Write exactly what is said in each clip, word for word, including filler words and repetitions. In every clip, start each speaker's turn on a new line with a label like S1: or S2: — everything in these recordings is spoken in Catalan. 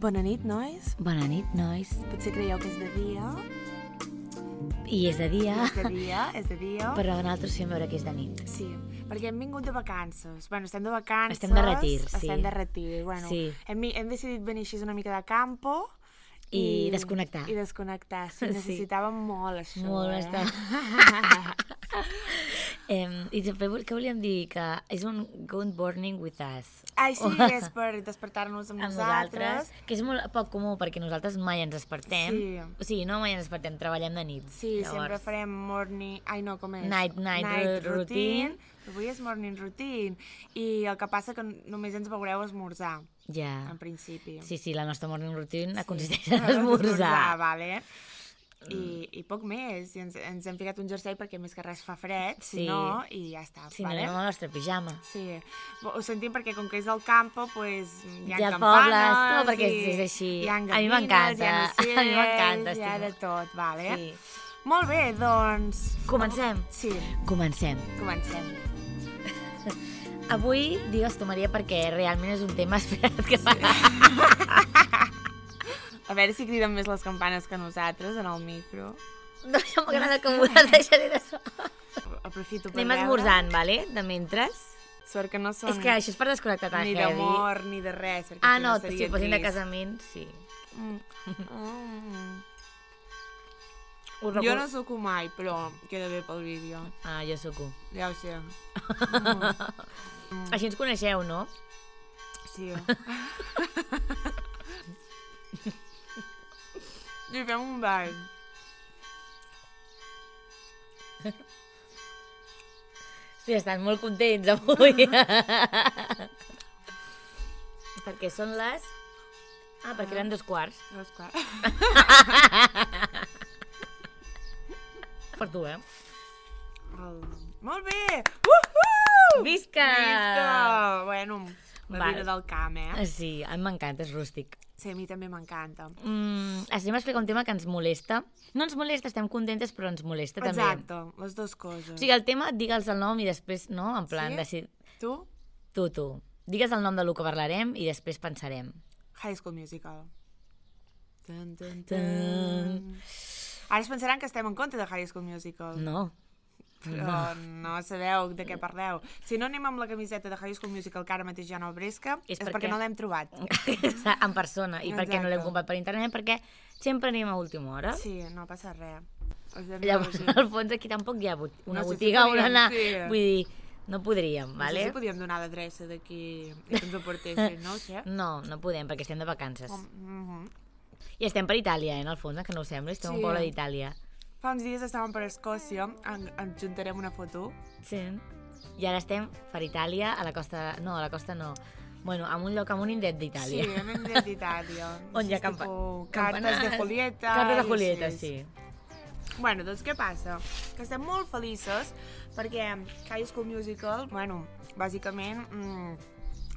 S1: Bona nit, nois.
S2: Bona nit, nois.
S1: Potser creieu que és de dia.
S2: I és de dia.
S1: És de dia, és de dia.
S2: Però nosaltres fem veure que és de nit.
S1: Sí, perquè hem vingut de vacances. Bueno, estem de vacances.
S2: Estem de retir, sí.
S1: Estem de retir. Bueno,
S2: sí.
S1: hem, hem decidit venir així una mica de campo.
S2: I, I desconnectar.
S1: I desconnectar, sí. Necessitàvem sí. molt això.
S2: Molt,
S1: eh?
S2: està. eh, I també, què volíem dir? Que és un good morning with us.
S1: Ai, sí, és per despertar-nos amb, amb nosaltres.
S2: nosaltres. Que és molt poc comú, perquè nosaltres mai ens despertem.
S1: Sí.
S2: O sigui, no mai ens despertem, treballem de nit.
S1: Sí,
S2: Llavors...
S1: sempre farem morning... Ai, no, com és?
S2: Night, night,
S1: night
S2: routine.
S1: routine. Avui és morning routine. I el que passa que només ens veureu esmorzar.
S2: Ja.
S1: En principi.
S2: Sí, sí, la nostra morning routine sí. consisteix
S1: en
S2: en esmorzar.
S1: esmorzar, vale. I, i poc més. I ens, ens hem ficat un jersei perquè més que res fa fred, sí. Si no, i ja està.
S2: Si
S1: vale?
S2: no, anem al nostre pijama.
S1: Sí. Ho sentim perquè com que és al campo, pues, hi ha,
S2: hi ha
S1: campanes...
S2: pobles, no, perquè és, és així.
S1: Hi ha
S2: a mi m'encanta.
S1: Hi ha ocells,
S2: a mi m'encanta.
S1: Hi ha de tot, vale?
S2: Sí.
S1: Molt bé, doncs...
S2: Comencem?
S1: Sí.
S2: Comencem.
S1: Comencem.
S2: Avui, digues tu, Maria, perquè realment és un tema esperat que fa.
S1: A veure si criden més les campanes que nosaltres en el micro.
S2: No, ja m'agrada que m'ho deixaré de so.
S1: Aprofito per
S2: Anem
S1: veure.
S2: esmorzant, vale? De mentres.
S1: Sort que no són...
S2: És que això és per desconnectar tan
S1: ni
S2: heavy.
S1: Ni d'amor, ni de res.
S2: Ah, no,
S1: si,
S2: si fossin de casament, sí.
S1: Mm. Mm.
S2: Record...
S1: Jo no suco mai, però queda bé pel vídeo.
S2: Ah, jo suco.
S1: Ja ho sé.
S2: Mm. Així ens coneixeu, no?
S1: Sí. I fem un ball.
S2: Sí, estan molt contents avui. Perquè són les... Ah, perquè eren dos quarts.
S1: Dos quarts.
S2: Per tu, eh?
S1: El... Molt bé! Uh-huh!
S2: Visca!
S1: Visca! Bueno, la
S2: vale.
S1: vida del camp, eh?
S2: Sí, a mi m'encanta, és rústic.
S1: Sí, a mi també m'encanta.
S2: Mm, estem explicant un tema que ens molesta. No ens molesta, estem contentes, però ens molesta
S1: Exacte,
S2: també.
S1: Exacte, les dues coses.
S2: O sigui, el tema, digue'ls el nom i després, no? En plan,
S1: sí?
S2: decid...
S1: Tu?
S2: Tu, tu. Digues el nom del que parlarem i després pensarem.
S1: High School Musical. Dun, dun, dun.
S2: Dun.
S1: Ara es pensaran que estem en contra de High School Musical.
S2: No.
S1: Però no. no sabeu de què parleu. Si no anem amb la camiseta de High School Musical que ara mateix ja no bresca, és, és perquè... perquè no l'hem trobat.
S2: En persona. I
S1: Exacte.
S2: perquè no l'hem comprat per internet, perquè sempre anem a última hora.
S1: Sí, no passa res.
S2: Llavors, al fons aquí tampoc hi ha una
S1: no sé
S2: botiga
S1: si
S2: on anar.
S1: Sí.
S2: Vull dir, no podríem,
S1: no
S2: vale?
S1: No sé si podíem donar l'adreça d'aquí i que ens ho portessin, no ho sé.
S2: No, no podem, perquè estem de vacances.
S1: Um, mm-hmm.
S2: I estem per Itàlia, eh, en el fons, que no ho sembla, estem sí. un poble d'Itàlia.
S1: Fa uns dies estàvem per Escòcia, en, ens juntarem una foto.
S2: Sí. I ara estem per Itàlia, a la costa... No, a la costa no. Bueno, en un lloc, en un indret d'Itàlia.
S1: Sí, en un indret d'Itàlia.
S2: On hi ha campa...
S1: cartes de Julieta.
S2: Cartes de Julieta, sí.
S1: Bueno, doncs què passa? Que estem molt felices perquè High School Musical, bueno, bàsicament mm,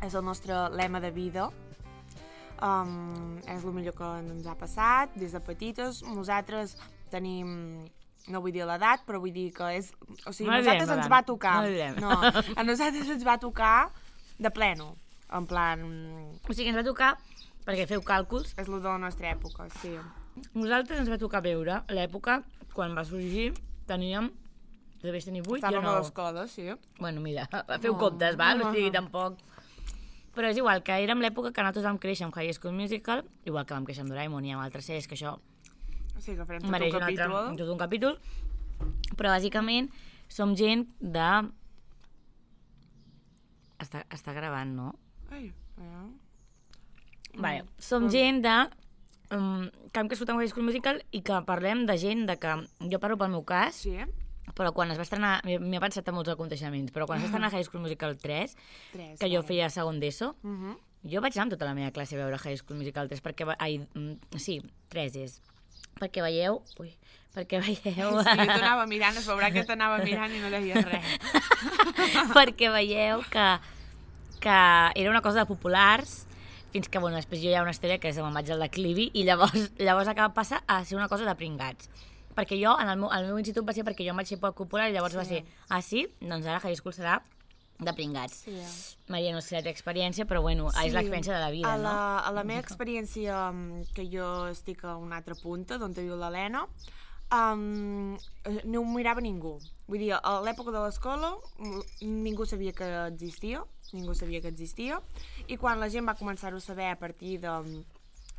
S1: és el nostre lema de vida. Um, és el millor que ens ha passat des de petites. Nosaltres tenim, no vull dir l'edat, però vull dir que és... O sigui, a nosaltres ens va tocar. No, a nosaltres ens va tocar de pleno. En plan...
S2: O sigui, ens va tocar, perquè feu càlculs...
S1: És el de la nostra època, sí.
S2: Nosaltres ens va tocar veure l'època, quan va sorgir, teníem... Devies tenir vuit,
S1: Estàvem
S2: jo no.
S1: a l'escola, sí.
S2: Bueno, mira, feu oh. comptes, val? O sigui, tampoc... Però és igual, que érem l'època que nosaltres vam créixer amb High School Musical, igual que vam créixer amb Doraemon i amb altres sèries, que això...
S1: Sí, que farem tot
S2: mereix
S1: un capítol.
S2: Un altre, tot un capítol. Però, bàsicament, som gent de... Està, està gravant, no?
S1: Ai, ai.
S2: Vale, som gent de... Um, que hem crescut amb High School Musical i que parlem de gent de que... Jo parlo pel meu cas,
S1: sí.
S2: Però quan es va estrenar... M'he pensat en molts aconteixements, però quan es va estrenar High School Musical tres, tres que jo feia segon d'ESO, uh -huh. jo vaig anar amb tota la meva classe a veure High School Musical tres, perquè... Ai, sí, tres és... Perquè veieu... Ui, perquè veieu...
S1: Sí, jo t'anava mirant, es veurà que t'anava mirant i no deies res.
S2: Perquè veieu que, que era una cosa de populars, fins que, bueno, després jo hi ha una història que és me'n vaig al declivi i llavors, llavors acaba passar a ser una cosa de pringats. Perquè jo, en el meu, el meu institut va ser perquè jo em vaig ser poc popular i llavors sí. va ser, ah, sí? Doncs ara High School serà de pringats.
S1: Sí.
S2: Maria, no sé la teva experiència, però bueno, sí. és l'experiència de la vida,
S1: a la,
S2: no?
S1: A la meva experiència, que jo estic a una altra punta, d'on viu l'Helena, um, no ho mirava ningú. Vull dir, a l'època de l'escola ningú sabia que existia, ningú sabia que existia, i quan la gent va començar-ho a saber a partir de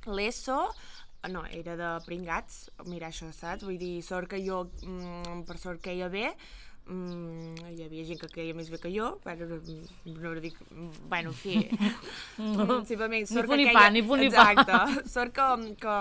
S1: l'ESO, no, era de pringats, mira això, saps? Vull dir, sort que jo, per sort que ia bé, Mm, hi havia gent que queia més bé que jo, bueno, no dic, bueno, en fi,
S2: no,
S1: simplement,
S2: ni
S1: sort
S2: fu
S1: que
S2: ni
S1: queia,
S2: pa, ni fu ni pa.
S1: exacte, sort que, que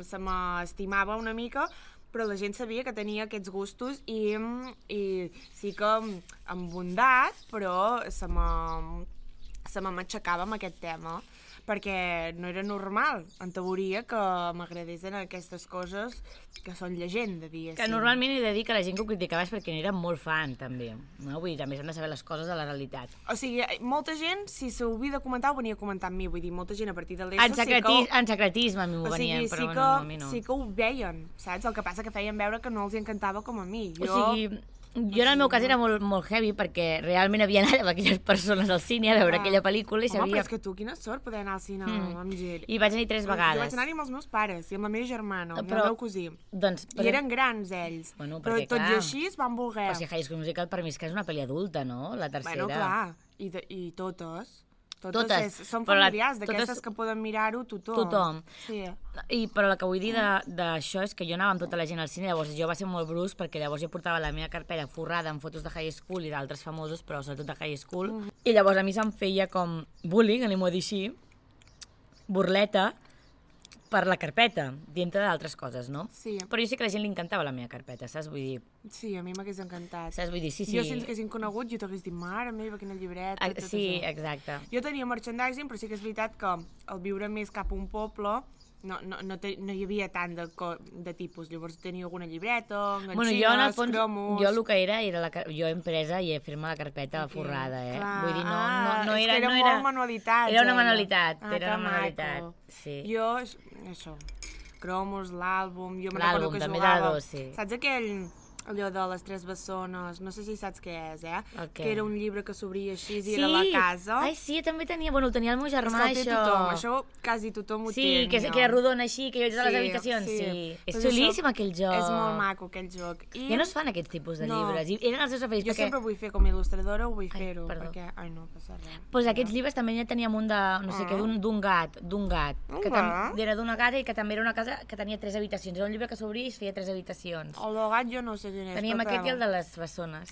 S1: se m'estimava una mica, però la gent sabia que tenia aquests gustos i, i sí que amb bondat, però se m'aixecava amb aquest tema, perquè no era normal, en teoria, que m'agradessin aquestes coses que són llegenda, diguéssim.
S2: Que normalment he de dir que la gent que ho criticava és perquè n'era molt fan, també. No? Vull dir, també s'han de saber les coses de la realitat.
S1: O sigui, molta gent, si s'ho havia de comentar, ho venia a comentar amb mi. Vull dir, molta gent a partir de l'E S O...
S2: En, secreti... sí que... en secretisme a mi m'ho
S1: o sigui,
S2: venien, però
S1: sí
S2: bueno,
S1: que,
S2: no, a mi no.
S1: Sí que ho veien, saps? El que passa que feien veure que no els encantava com a mi. Jo...
S2: O sigui... Jo en el meu cas era molt, molt heavy perquè realment havia anat amb aquelles persones al cine a veure ah. aquella pel·lícula i
S1: sabia... Home,
S2: sabia...
S1: però és que tu, quina sort poder anar al cine mm. amb gent.
S2: I vaig anar tres vegades.
S1: Jo vaig anar-hi amb els meus pares i amb la meva germana, amb
S2: però...
S1: el meu cosí.
S2: Doncs,
S1: però... I eren grans, ells.
S2: Bueno,
S1: perquè, però tot clar... i així es van voler.
S2: Però si High School Musical per mi és que és una pel·li adulta, no? La tercera.
S1: Bueno, clar. I, de, i totes...
S2: Totes,
S1: totes és, són familiars, la, d'aquestes totes, que poden mirar-ho tothom.
S2: Tothom.
S1: Sí.
S2: I, però el que vull dir d'això és que jo anava amb tota la gent al cine, llavors jo va ser molt brusc perquè llavors jo portava la meva carpeta forrada amb fotos de High School i d'altres famosos, però sobretot de High School, mm. i llavors a mi se'm feia com bullying, anem-ho a dir així, burleta, per la carpeta, dintre d'altres coses, no?
S1: Sí.
S2: Però jo sé que a la gent li encantava la meva carpeta, saps? Vull dir...
S1: Sí, a mi m'hagués encantat.
S2: Saps? Vull dir, sí, sí.
S1: Jo, si ens haguessin conegut, jo t'hagués dit, mare meva, quina llibreta,
S2: ah,
S1: tot
S2: sí,
S1: això.
S2: exacte.
S1: Jo tenia merchandising, però sí que és veritat que al viure més cap a un poble no, no, no, te, no hi havia tant de, de tipus. Llavors tenia alguna llibreta, enganxines, bueno, jo, en el fons, cromos...
S2: Jo el que era, era la, jo empresa i fer-me la carpeta okay, forrada, eh?
S1: Clar.
S2: Vull dir, no,
S1: ah,
S2: no, no era...
S1: era
S2: no
S1: molt
S2: era,
S1: manualitat.
S2: Era una manualitat,
S1: ah,
S2: era una manualitat. Sí.
S1: Jo, això, cromos, l'àlbum, jo me
S2: recordo
S1: que
S2: també
S1: jugava...
S2: Dos, sí.
S1: Saps aquell... allò de les tres bessones, no sé si saps què és, eh?
S2: Okay.
S1: Que era un llibre que s'obria així i
S2: sí.
S1: era la casa.
S2: Ai, sí, també tenia, bueno, el tenia el meu germà,
S1: això.
S2: Tothom.
S1: Això quasi tothom ho
S2: sí,
S1: té.
S2: Sí, que, que era rodona així, que jo vaig a les
S1: sí,
S2: habitacions, sí. sí. És
S1: pues
S2: xulíssim aquell joc.
S1: És molt maco aquell joc. I...
S2: Ja no es fan aquests tipus de
S1: no.
S2: llibres, i eren els seus referits.
S1: Jo
S2: perquè...
S1: sempre vull fer com a il·lustradora, ho vull fer-ho,
S2: perdó.
S1: perquè... Ai, no, passa res.
S2: Doncs pues aquests llibres també ja teníem un de, no sé ah. què, d'un gat, d'un gat,
S1: un
S2: que
S1: gat?
S2: era d'una gata i que també era una casa que tenia tres habitacions. Era un llibre que s'obria i es feia tres habitacions.
S1: El del gat jo no sé quin és.
S2: Teníem aquest i el de les bessones.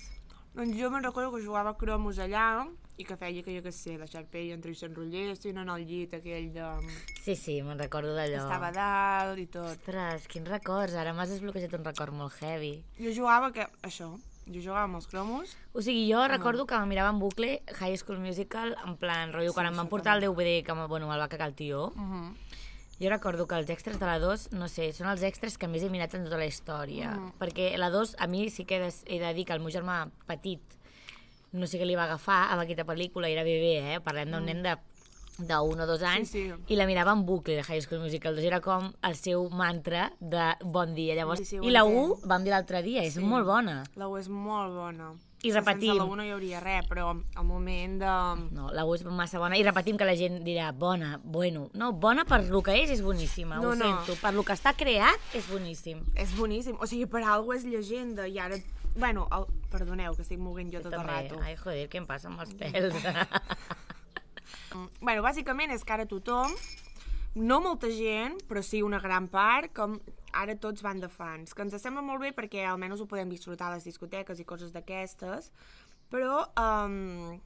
S1: Doncs jo me'n recordo que jugava a cromos allà i que feia que jo què sé, la xarpella entre i s'enrotllessin en el llit aquell de...
S2: Sí, sí, me'n recordo d'allò.
S1: Estava a dalt i tot.
S2: Ostres, quins records, ara m'has desbloquejat un record molt heavy.
S1: Jo jugava que... això, jo jugava amb els cromos.
S2: O sigui, jo ah. recordo que me mirava en bucle High School Musical, en plan, rotllo, sí, quan em van portar el D V D que bueno, me'l va cagar el tio. Uh -huh. Jo recordo que els extras de la dos, no sé, són els extras que més he mirat en tota la història. Mm. Perquè la dos, a mi sí que he de, he de dir que el meu germà petit, no sé què li va agafar amb aquesta pel·lícula, era bebè, eh? Parlem d'un mm. nen de d'un o dos anys,
S1: sí, sí.
S2: i la mirava en bucle de High School Musical dos, era com el seu mantra de bon dia. Llavors,
S1: sí, sí,
S2: i la u, vam dir l'altre dia, és
S1: sí.
S2: molt bona.
S1: La u és molt bona.
S2: I repetim.
S1: Sense la u no hi hauria res, però al moment de...
S2: No, la u és massa bona, i repetim que la gent dirà bona, bueno. No, bona per lo que és, és boníssima,
S1: no,
S2: ho
S1: no.
S2: sento. Per lo que està creat, és boníssim.
S1: És boníssim, o sigui, per alguna és llegenda, i ara... Bueno, el... perdoneu, que estic moguent jo, jo tot també. El rato.
S2: Ai, joder, què em passa amb els pèls?
S1: Bueno, bàsicament és que ara tothom, no molta gent, però sí una gran part, com ara tots van de fans, que ens sembla molt bé perquè almenys ho podem disfrutar a les discoteques i coses d'aquestes, però... Um,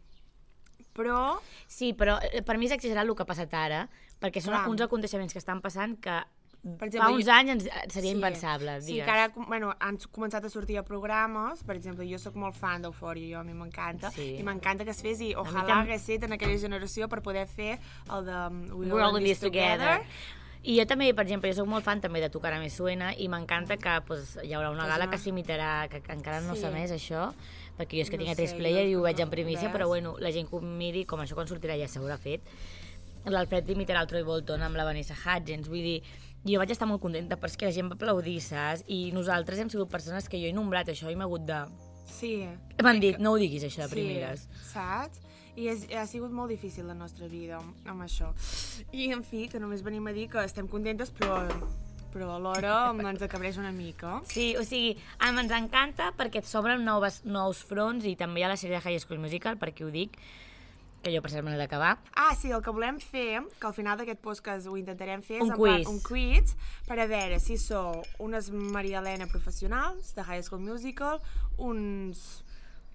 S1: però...
S2: Sí, però per mi és exagerat el que ha passat ara, perquè són Clar. uns aconteixements que estan passant que per exemple, fa uns jo... anys seria sí, impensable, digues.
S1: Sí, que ara bueno, han començat a sortir a programes, per exemple, jo sóc molt fan d'Eufòria, jo a mi m'encanta, sí. i m'encanta que es fes, i ojalà tam... hagués estat en aquella generació per poder fer el de We All In This Together.
S2: I jo també, per exemple, jo soc molt fan també de Tocar a Me Suena, i m'encanta que pues, hi haurà una gala que s'imitarà, que, que encara no sí. s'ha més això, perquè jo és que no tinc a tres player i ho veig en primícia, però bueno, la gent que ho miri, com això quan sortirà ja s'haurà fet. L'Alfred imitarà el Troy Bolton amb la Vanessa Hudgens, vull dir, jo vaig estar molt contenta perquè la gent va aplaudir, saps? I nosaltres hem sigut persones que jo he nombrat això i m'he hagut de
S1: Sí.
S2: M'han dit, no ho diguis, això, de primeres.
S1: Sí, saps? I és, ha sigut molt difícil la nostra vida amb això. I, en fi, que només venim a dir que estem contentes, però, però alhora ens acabreix una mica.
S2: Sí, o sigui, ens encanta perquè et s'obren noves, nous fronts i també hi ha la sèrie de High School Musical, per qui ho dic, que jo per cert me l'he d'acabar.
S1: Ah, sí, el que volem fer, que al final d'aquest podcast ho intentarem fer,
S2: un
S1: és
S2: quiz.
S1: un quiz per a veure si sou unes Maria Elena professionals de High School Musical, uns...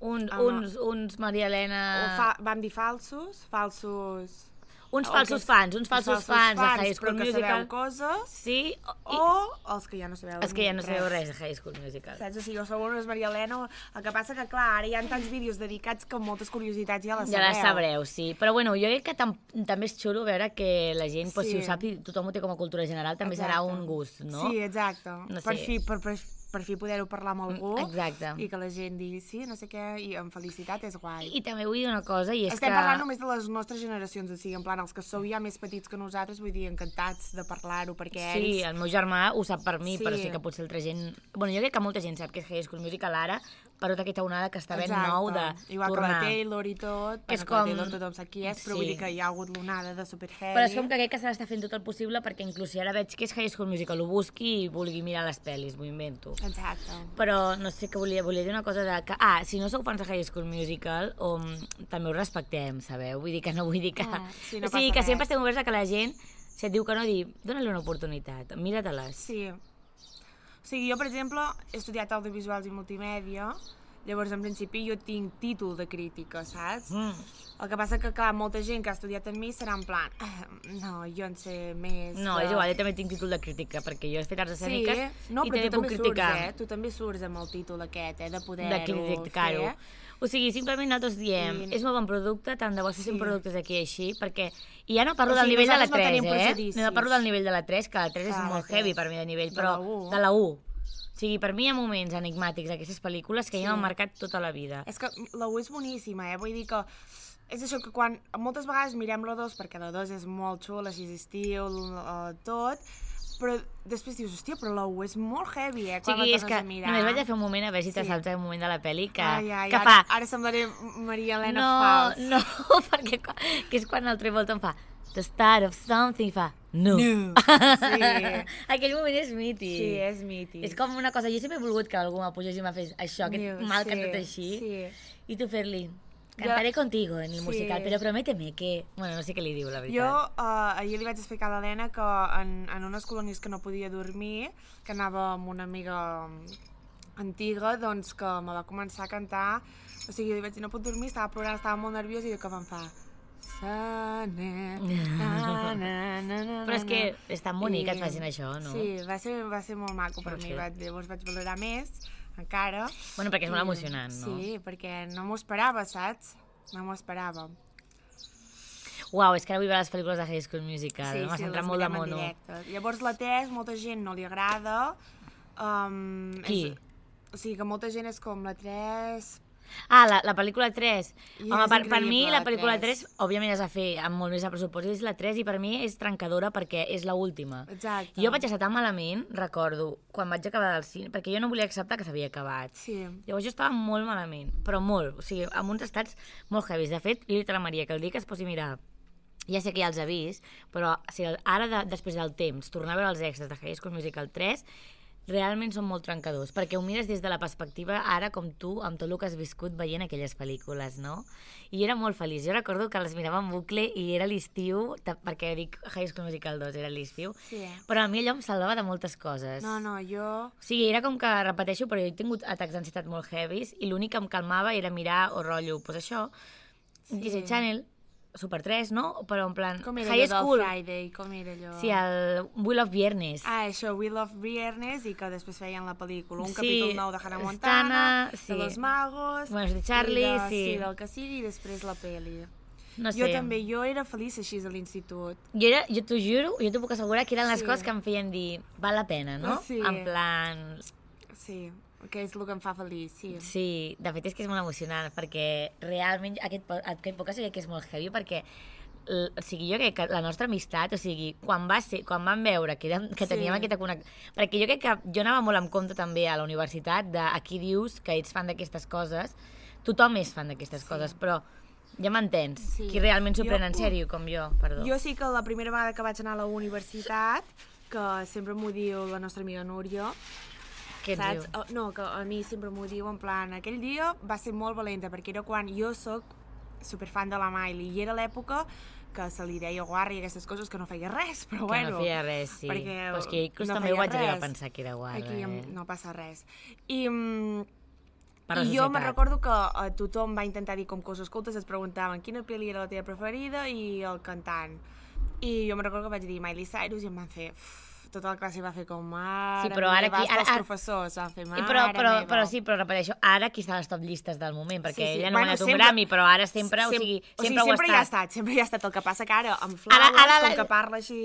S2: Un,
S1: ah,
S2: uns, uns Maria Elena...
S1: Fa, vam dir falsos, falsos...
S2: Uns falsos que, fans, uns falsos, falsos fans, fans de High School
S1: Musical.
S2: Musical.
S1: Però que sabeu coses.
S2: Sí.
S1: I, o els que ja no sabeu
S2: els que ja no
S1: res.
S2: sabeu res de High School Musical.
S1: Saps? O sigui, jo sou unes Maria Elena, el que passa que, clar, ara hi ha tants vídeos dedicats que moltes curiositats ja les
S2: ja
S1: sabeu.
S2: Ja les sabreu, sí. Però bueno, jo crec que tam també és xulo veure que la gent, sí. pues, si ho sap i tothom ho té com a cultura general, també exacte. Serà un gust, no?
S1: Sí, exacte.
S2: No sé.
S1: Per fi, per, per, per fi poder-ho parlar amb algú.
S2: Exacte.
S1: I que la gent digui sí, no sé què, i amb felicitat és guai.
S2: I, i també vull dir una cosa, i és
S1: Estem
S2: que...
S1: Estem parlant només de les nostres generacions, o sigui, en plan, els que sou ja més petits que nosaltres, vull dir, encantats de parlar-ho, perquè
S2: sí, ells... Sí, el meu germà ho sap per mi,
S1: sí.
S2: però sí que potser altra gent... Bueno, jo crec que molta gent sap que és High School Musical ara, per tota aquesta onada que està ben
S1: exacte.
S2: Nou de
S1: igual
S2: tornar.
S1: Que la Taylor i tot,
S2: que és
S1: com...
S2: com...
S1: la Taylor tothom sap qui és, però
S2: sí.
S1: Vull dir que hi ha hagut l'onada de Super Heavy.
S2: Però és com que crec que se l'està fent tot el possible perquè inclús si ara veig que és High School Musical, ho busqui i vulgui mirar les pel·lis, m'ho invento.
S1: Exacte.
S2: Però no sé què volia, volia dir una cosa de que, ah, si no sou fans de High School Musical, um, també ho respectem, sabeu? Vull dir que no vull dir que...
S1: Mm, sí, no
S2: o sigui, que
S1: res.
S2: sempre estem oberts a que la gent, si et diu que no, dir, dóna-li una oportunitat, mira-te-les.
S1: Sí. O sigui, jo, per exemple, he estudiat audiovisuals i multimèdia, llavors, en principi, jo tinc títol de crítica, saps?
S2: Mm.
S1: El que passa que, clar, molta gent que ha estudiat amb mi serà en plan, ah, no, jo en sé més...
S2: No,
S1: de...
S2: és igual, jo també tinc títol de crítica, perquè jo he fet arts escèniques
S1: sí. no,
S2: i també puc criticar.
S1: Surts, eh? Tu també surts amb el títol aquest, eh? De poder-ho
S2: de criticar-ho. O sigui, simplement nosaltres diem, I... és molt bon producte, tant de bo fessin sí. productes aquí així, perquè... I ja no parlo o sigui, del nivell de la tres, no eh? No parlo del nivell de la tres, que la tres clar, és molt heavy per mi de nivell,
S1: de
S2: però
S1: la
S2: de la u. O sigui, per mi hi ha moments enigmàtics d'aquestes pel·lícules que sí. Ja m'han marcat tota la vida.
S1: És que la u és boníssima, eh? Vull dir que és això que quan moltes vegades mirem la dos, perquè la dos és molt xula, així estiu, tot, però després dius, hòstia, però la u és molt heavy, eh? Quan
S2: sí,
S1: la
S2: és que
S1: a mirar.
S2: Només vaig a fer un moment a veure si te sí. Saps un moment de la pel·li que,
S1: ai, ai,
S2: que
S1: ara,
S2: fa...
S1: Ara semblaré Maria Elena
S2: no,
S1: Fals.
S2: No, perquè que és quan el Travolta em fa the start of something, fa no.
S1: No. Sí.
S2: Aquell moment és mític.
S1: Sí, és mític.
S2: És com una cosa, jo sempre he volgut que algú m'apugés i m'ha fet això, aquest
S1: no,
S2: mal
S1: sí,
S2: cantat així,
S1: sí.
S2: I tu fer-li, cantaré jo... contigo en el
S1: sí.
S2: musical, però prométeme que... Bueno, no sé què li diu, la veritat.
S1: Jo uh, ahir li vaig explicar a l'Helena que en, en unes colònies que no podia dormir, que anava amb una amiga antiga, doncs que me va començar a cantar, o sigui, li vaig dir, no puc dormir, estava plorant, estava molt nerviós i que em fa... Na, na, na, na, na,
S2: però és que és tan bonic I... que et facin això, no?
S1: Sí, va ser, va ser molt maco per mi, vaig, llavors vaig valorar més, encara.
S2: Bueno, perquè és molt emocionant, no?
S1: Sí, perquè no m'ho esperava, saps? No m'ho esperava.
S2: Uau, és que ara vull veure les pel·lícules de High School Musical,
S1: sí,
S2: m'ha
S1: sí,
S2: centrat molt de mono.
S1: Llavors la tres, molta gent no li agrada. Um,
S2: Qui?
S1: És, o sigui que molta gent és com la tres...
S2: Ah, la, la pel·lícula tres.
S1: I
S2: Home, per, per mi la
S1: la
S2: pel·lícula tres, òbviament has de fer amb molt més de pressupost, és la tres i per mi és trencadora perquè és l'última.
S1: Exacte.
S2: Jo vaig estar tan malament, recordo, quan vaig acabar del cine, perquè jo no volia acceptar que s'havia acabat.
S1: Sí.
S2: Llavors jo estava molt malament, però molt, o sigui, amb uns estats molt heavies. De fet, li he dit a la Maria que el dia que es posi a mirar, ja sé que ja els ha vist, però o sigui, ara, de, després del temps, tornar a veure els extras de High School Musical tres, realment són molt trencadors, perquè ho mires des de la perspectiva ara com tu, amb tot el que has viscut veient aquelles pel·lícules, no? I jo era molt feliç, jo recordo que les mirava en bucle i era l'estiu, perquè dic High School Musical dos, era l'estiu,
S1: sí.
S2: Però a mi allò em salvava de moltes coses.
S1: No, no, jo...
S2: O sigui, era com que, repeteixo, però jo he tingut atacs d'ansietat molt heavies i l'únic que em calmava era mirar o rotllo, doncs això, sí. Disney Channel, Super tres, no? Però en plan...
S1: Com era
S2: High
S1: allò
S2: School.
S1: del Friday? Com era allò?
S2: Sí, el We Love Viernes.
S1: Ah, això, We Love Viernes, i que després feien la pel·lícula. Un
S2: sí,
S1: capítol nou de Hannah Montana,
S2: sí.
S1: de Los Magos...
S2: Bueno, de Charlie,
S1: de,
S2: sí.
S1: Sí, del que sigui, i després la pel·li.
S2: No sé.
S1: Jo també, jo era feliç així a l'institut.
S2: Jo, era, jo t'ho juro, jo t'ho puc assegurar que eren les
S1: sí.
S2: coses que em feien dir val la pena, no?
S1: Sí.
S2: En plan...
S1: Sí, que és el que em fa feliç, sí.
S2: Sí, de fet és que és molt emocionant, perquè realment aquest, aquest podcast que és molt heavy, perquè l, o sigui, jo crec que la nostra amistat, o sigui, quan, va ser, quan vam veure que, érem, que teníem sí. aquesta connexió... Perquè jo crec que jo anava molt en compte també a la universitat de aquí dius que ets fan d'aquestes coses, tothom és fan d'aquestes sí. coses, però ja m'entens, sí. qui realment s'ho pren en sèrio, com jo, perdó.
S1: Jo sí que la primera vegada que vaig anar a la universitat, que sempre m'ho diu la nostra amiga Núria,
S2: què et
S1: saps?
S2: diu?
S1: No, que a mi sempre m'ho diu en plan, aquell dia va ser molt valenta, perquè era quan jo soc superfan de la Miley, i era l'època que se li deia guarra i aquestes coses, que no feia res, però
S2: que
S1: bueno.
S2: Que no feia res, sí.
S1: Perquè
S2: però és que inclús
S1: no
S2: també ho vaig
S1: res.
S2: arribar a pensar que era guarra.
S1: Aquí
S2: eh?
S1: no passa res. I...
S2: Per
S1: I jo me'n recordo que uh, tothom va intentar dir com coses cultes, es preguntaven quina pel·li era la teva preferida i el cantant. I jo me'n recordo que vaig dir Miley Cyrus i em van fer... Uf, tota la classe va fer com mare
S2: sí, però ara
S1: meva,
S2: aquí, ara,
S1: els
S2: ara,
S1: professors van fer mare
S2: però, però,
S1: meva.
S2: Però sí, però repeteixo, ara qui està a les top llistes del moment, perquè sí, sí. ella no
S1: bueno,
S2: ha anat un
S1: sempre,
S2: Grammy, però ara sempre,
S1: sempre
S2: o sigui,
S1: o
S2: sempre,
S1: sigui,
S2: ho
S1: sempre
S2: ha
S1: hi ha
S2: estat.
S1: estat. Sempre hi ha estat, el que passa que ara, amb Flowers,
S2: Ara, ara,
S1: com que parla així...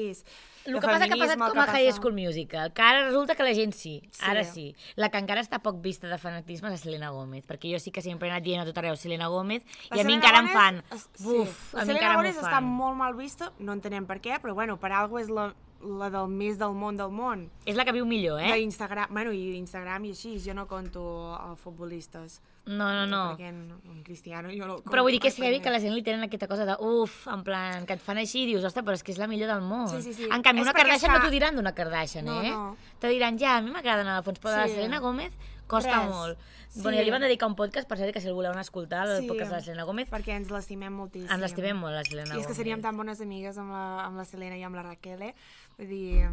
S2: El que passa que ha passat com a High School Musical, que ara resulta que la gent sí, sí, ara sí. La que encara està poc vista de fanatisme és la Selena Gómez, perquè jo sí que sempre he anat dient a tot arreu Selena Gómez, la i a mi encara em fan...
S1: Sí.
S2: Uf,
S1: la
S2: a mi
S1: Selena
S2: encara m'ho
S1: Gómez
S2: fan.
S1: està molt mal vista, no entenem per què, però bueno, per alguna és la, la del més del món del món.
S2: És la que viu millor, eh?
S1: D'Instagram, bueno, i Instagram i així, jo no conto uh, futbolistes.
S2: No, no, no.
S1: Perquè un Cristiano jo no conto.
S2: Però vull dir que és heavy que la gent li tenen aquesta cosa de uf, en plan, que et fan així i dius, ostres, però és que és la millor del món.
S1: Sí, sí, sí.
S2: En canvi,
S1: és
S2: una Kardashian
S1: està...
S2: no t'ho diran d'una Kardashian,
S1: no,
S2: eh?
S1: No.
S2: Te diran, ja, a mi m'agraden a fons, però sí. La Selena Gómez costa Res. molt. Sí. Bueno, ja li van dedicar un podcast, per cert, que si el voleu anar a escoltar, el sí. podcast de la Selena Gómez.
S1: Perquè ens l'estimem moltíssim.
S2: Ens l'estimem molt, la Selena Gómez.
S1: I és que seríem tan bones amigues amb la, amb la Selena i amb la Raquel, eh? Vull dir,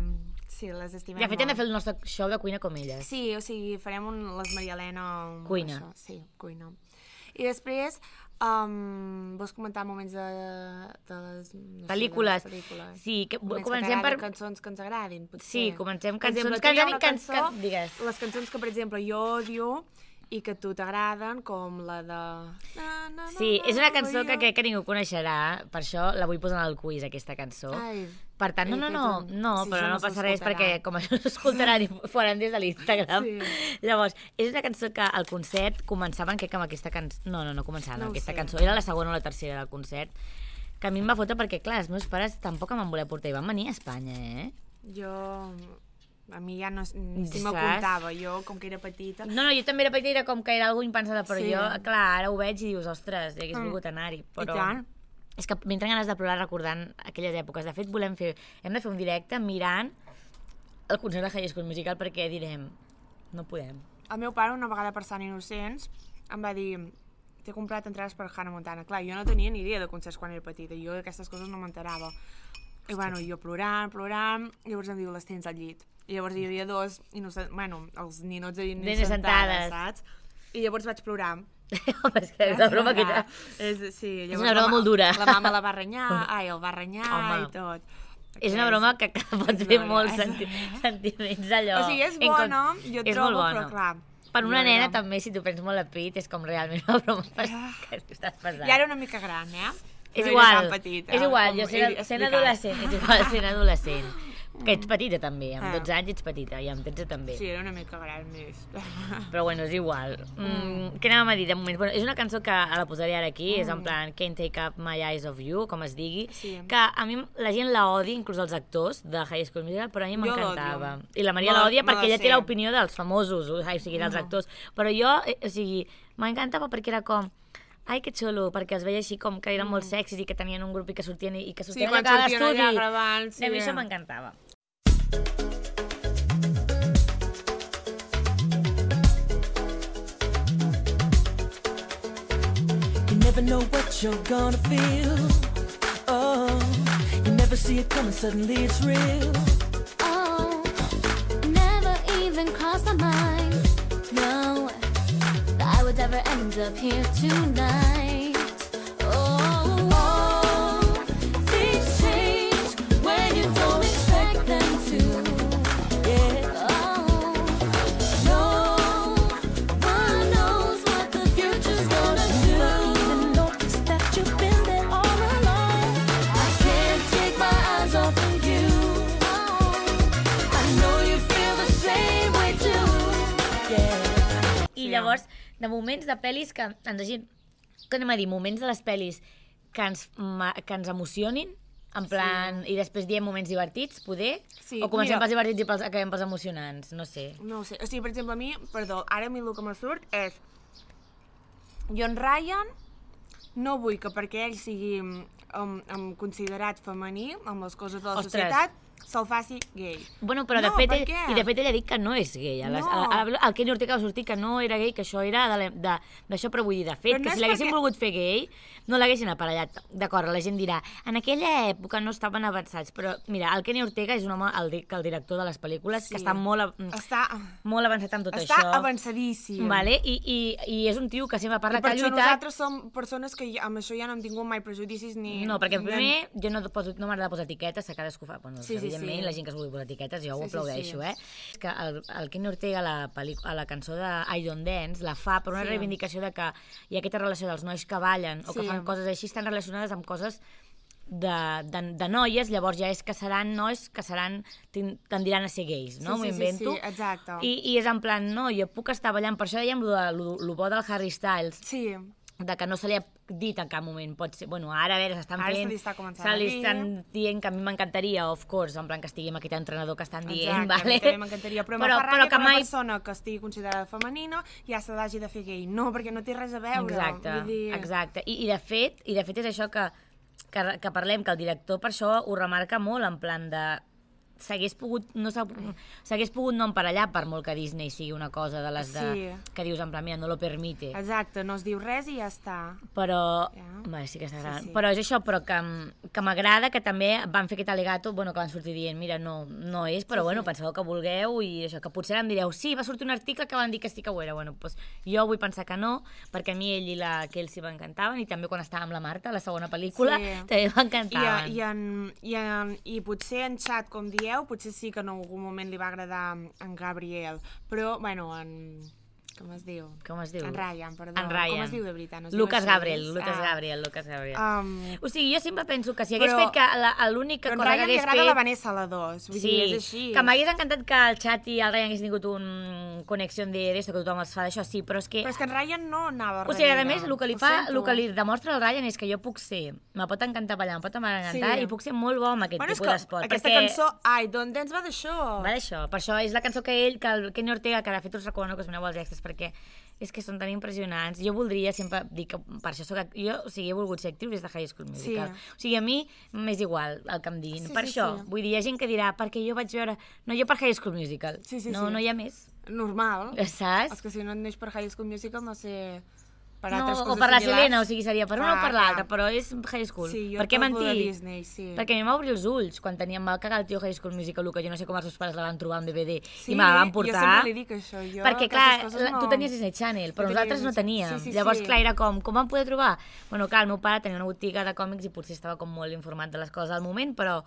S1: sí, les estimem molt.
S2: I de fet hem de fer el nostre show de cuina com elles.
S1: Sí, o sigui, farem un, les Maria Elena...
S2: Cuina.
S1: Això, sí, cuina. I després, um, vols comentar moments de, de les... No
S2: pel·lícules.
S1: Sé, de les pel·lícules.
S2: Sí, que
S1: moments
S2: comencem per...
S1: cançons que ens agradin, potser.
S2: Sí, comencem cançons
S1: exemple,
S2: que ens agradin...
S1: Cançó,
S2: que... Digues.
S1: Les cançons que, per exemple, jo odio i que a tu t'agraden, com la de... Na, na,
S2: sí,
S1: na,
S2: és una cançó
S1: na,
S2: que crec que ningú coneixerà, per això la vull posar en el quiz, aquesta cançó.
S1: Ai,
S2: per tant, no, no, no, un... no, sí, però no, no passa res perquè com això s'escoltaran i faran des de l'Instagram. Sí. Llavors, és una cançó que al concert començaven, crec que amb aquesta cançó... No, no, no començaven
S1: no
S2: amb aquesta
S1: sé.
S2: cançó, era la segona o la tercera del concert, que a mi em va fotre perquè, clar, els meus pares tampoc em van voler portar i van venir a Espanya, eh?
S1: Jo... A mi ja no, ni si m'apuntava, jo com que era petita...
S2: No, no, jo també era petita, era com que era algú impensada, però
S1: sí.
S2: jo, clar, ara ho veig i dius, ostres, ja hagués mm. volgut anar-hi, però...
S1: I tant.
S2: És que m'entren ganes de plorar recordant aquelles èpoques. De fet, volem fer, hem de fer un directe mirant el concert de High School Musical perquè direm, no podem.
S1: El meu pare, una vegada per Sant Innocents, em va dir, t'he comprat entrades per Hannah Montana. Clar, jo no tenia ni idea de concerts quan era petita, jo d'aquestes coses no m'enterava. I bueno, jo plorant, plorant, llavors em diu, les tens al llit. I llavors hi havia dos, innocents, bueno, els ninots de nines sentades, saps? I llavors vaig plorar.
S2: Home, és que és una broma que ja...
S1: És, sí,
S2: és una broma molt dura.
S1: La mama la va renyar, ai, el va renyar Home. I tot.
S2: És una broma que, que pot fer molts senti sentiments allò.
S1: O sigui, és bona, jo
S2: és
S1: trobo, però clar...
S2: Per una nena també, si tu prens molt a pit, és com realment una broma que estàs passant.
S1: Ja era una mica gran, eh?
S2: És igual,
S1: petita,
S2: és igual, jo sent, sent adolescent, és igual, sent adolescent. Que ets petita també, amb dotze anys ets petita i amb tretze també.
S1: Sí, era una mica gran més.
S2: Però bueno, és igual. Mm, què anàvem a dir de moment? Bueno, és una cançó que la posaré ara aquí, mm. és en plan Can't Take Up My Eyes of You, com es digui,
S1: sí.
S2: que a mi la gent la odia, inclús els actors de High School Musical, però a mi m'encantava. I la Maria l'odia perquè ella té l'opinió dels famosos, o sigui, dels actors. Però jo, o sigui, m'encantava perquè era com... Ai, que xulo, perquè els veia així com que eren mm. molt sexis i que tenien un grup i que sortien i que sortien
S1: sí, allà a l'estudi. Sí, gravant, sí.
S2: A mi això m'encantava.
S3: You never know what you're gonna feel. Oh, you never see it coming, suddenly it's real.
S4: Oh, never even crossed my mind. No, that I would ever end up here tonight. Oh, oh, things change when you don't expect them to. Yeah. Oh, no one knows what the future's gonna do. Even notice that you've been there all along. I can't take my eyes off of you. Oh, I know you feel the same way too. Yeah.
S2: I llavors, de moments de pel·lis que ens hagin... Que anem a dir, moments de les pel·lis que ens, que ens emocionin, en plan, sí. I després diem moments divertits, poder?
S1: Sí,
S2: o comencem
S1: mira,
S2: pels divertits i pels, acabem pels emocionants? No sé.
S1: No ho sé. O sigui, per exemple, a mi, perdó, ara a mi el que me surt és... Jo en Ryan no vull que perquè ell sigui um, um, considerat femení amb les coses de la
S2: Ostres.
S1: societat se'l faci gay.
S2: Bueno, però de
S1: No,
S2: fet,
S1: per
S2: ell,
S1: què?
S2: i de fet ell ha dit que no és gay. A les,
S1: No.
S2: a, a, el Kenny Ortega va sortir que no era gay, que això era de, de, d'això, però vull dir, de fet,
S1: Però no
S2: que
S1: és
S2: si l'haguessin
S1: perquè-
S2: volgut fer gay, no l'haguessin aparellat. D'acord, la gent dirà, en aquella època no estaven avançats, però mira, el Kenny Ortega és un home, el, di- que el director de les pel·lícules,
S1: Sí.
S2: que està molt, a-
S1: Està,
S2: molt avançat amb tot
S1: està
S2: això.
S1: avançadíssim.
S2: Vale? I, i, I és un tio que sempre parla
S1: I
S2: que
S1: per
S2: ha
S1: això
S2: lluitat...
S1: nosaltres som persones que ja, amb això ja no hem tingut mai prejudicis ni...
S2: No, perquè
S1: ni-
S2: primer jo no, poso, no m'agrada posar etiquetes, que cadascú fa... Bueno,
S1: Sí, sí,
S2: evidentment,
S1: sí.
S2: la gent que es vulgui posar etiquetes, jo ho
S1: Sí, sí,
S2: aplaudeixo,
S1: sí.
S2: eh? És que el, el Kenny Ortega, a la, pel·líc- a la cançó de I Don't Dance, la fa per una
S1: Sí.
S2: reivindicació de que hi ha aquesta relació dels nois que ballen o que
S1: Sí.
S2: fan coses així, estan relacionades amb coses de, de, de noies, llavors ja és que seran nois que seran, tin- tendiran a ser gais, no?
S1: Sí,
S2: M'ho
S1: sí, sí,
S2: invento.
S1: sí, exacte.
S2: I, I és en plan, no, jo puc estar ballant, per això dèiem lo, de, lo, lo bo del Harry Styles,
S1: Sí,
S2: de que no se li ha dit en cap moment, pot ser, bueno, ara a veure, s'estan
S1: Ara se
S2: fent,
S1: li està començant
S2: se
S1: a
S2: li
S1: dir.
S2: estan dient que a mi m'encantaria, of course, en plan que estigui amb aquest entrenador que estan dient,
S1: exacte,
S2: vale?
S1: a mi també m'encantaria, però,
S2: però,
S1: però,
S2: però
S1: que
S2: que
S1: una
S2: mai...
S1: persona que estigui considerada femenina ja se l'hagi de fer gay. No, perquè no té res a veure.
S2: Exacte,
S1: Vull dir...
S2: exacte. I, i, de fet, I de fet és això que, que, que parlem, que el director per això ho remarca molt, en plan de... S'hagués pogut, no s'ha- s'hagués pogut no emparellar, per molt que Disney sigui una cosa de les de,
S1: Sí.
S2: que dius en plan, mira, no lo permite.
S1: Exacte, no es diu res i ja està.
S2: Però,
S1: Ja.
S2: bé, sí que està
S1: Sí,
S2: agradant.
S1: sí.
S2: Però és això, però que, m- que m'agrada que també van fer aquest al·legato, bueno, que van sortir dient, mira, no, no és, però
S1: Sí,
S2: bueno,
S1: sí.
S2: penseu que vulgueu i això, que potser ara em direu, sí, va sortir un article que van dir que sí que ho era. Bueno, doncs jo vull pensar que no, perquè a mi ell i la Kelsey m'encantaven, i també quan estava amb la Marta, la segona pel·lícula,
S1: Sí.
S2: també
S1: I,
S2: m'encantaven.
S1: i, en, i, en, I potser en xat, com dieu, potser sí que en algun moment li va agradar en Gabriel, però, bueno, en... Com es diu?
S2: Com es diu?
S1: En Ryan, perdó.
S2: En Ryan.
S1: Com es diu de veritat? No es diu
S2: Lucas
S1: així?
S2: Gabriel, Lucas
S1: Ah.
S2: Gabriel, Lucas Gabriel.
S1: Um,
S2: O sigui, jo sempre penso que si hagués
S1: Però-
S2: fet que la- l'única
S1: però en
S2: cosa que
S1: Ryan li
S2: hagués
S1: agrada
S2: fet...
S1: la Vanessa, la dos. Vull
S2: Sí,
S1: dir, és així.
S2: que m'hagués encantat que el Xat i el Ryan haguessin tingut un connexió d'esto, que tothom els fa d'això, sí, però és que...
S1: Però és que en Ryan no anava
S2: O sigui, a
S1: darrere.
S2: més, el que li
S1: Ho
S2: fa,
S1: sento.
S2: el que li demostra al Ryan és que jo puc ser, me pot encantar ballar, em pot encantar,
S1: Sí.
S2: i puc ser molt bo amb aquest
S1: Bueno, és
S2: tipus
S1: que
S2: d'esport.
S1: aquesta
S2: perquè...
S1: cançó, I Don't Dance, va d'això.
S2: Va d'això, per això és la cançó que ell, que el Kenny Ortega, que de fet us recomano que us mireu els extras, perquè és que són tan impressionants. Jo voldria, sempre dic que per això soc... act- Jo, o sigui, he volgut ser actriu des de High School Musical.
S1: Sí.
S2: O sigui, a mi m'és igual el que em diguin.
S1: Sí,
S2: per
S1: sí,
S2: això,
S1: sí.
S2: vull dir, hi ha gent que dirà, perquè jo vaig veure... No, jo per High School Musical.
S1: Sí, sí,
S2: no,
S1: sí.
S2: no hi ha més.
S1: Normal.
S2: Saps?
S1: És que si no et neix per High School Musical, no sé... Per
S2: No,
S1: altres
S2: o
S1: coses
S2: per la
S1: similars.
S2: Selena, o sigui, seria per una o
S1: Clar,
S2: per l'altra,
S1: clar.
S2: però és High School.
S1: Sí, jo
S2: per què
S1: tot lo de
S2: mentir?
S1: Disney, sí.
S2: Perquè a mi m'va obrir els ulls quan teníem, va cagar el tio High School Musical, que jo no sé com els seus pares la van trobar en D V D
S1: Sí,
S2: i me la van
S1: jo
S2: portar.
S1: sempre li dic això. Jo,
S2: perquè,
S1: aquestes
S2: clar,
S1: coses
S2: la,
S1: no...
S2: tu tenies Disney Channel, però
S1: Jo tenia
S2: nosaltres no
S1: Disney-
S2: teníem.
S1: sí, sí,
S2: Llavors,
S1: sí.
S2: clar, era com, com vam poder trobar? Bueno, clar, el meu pare tenia una botiga de còmics i potser estava com molt informat de les coses al moment, però...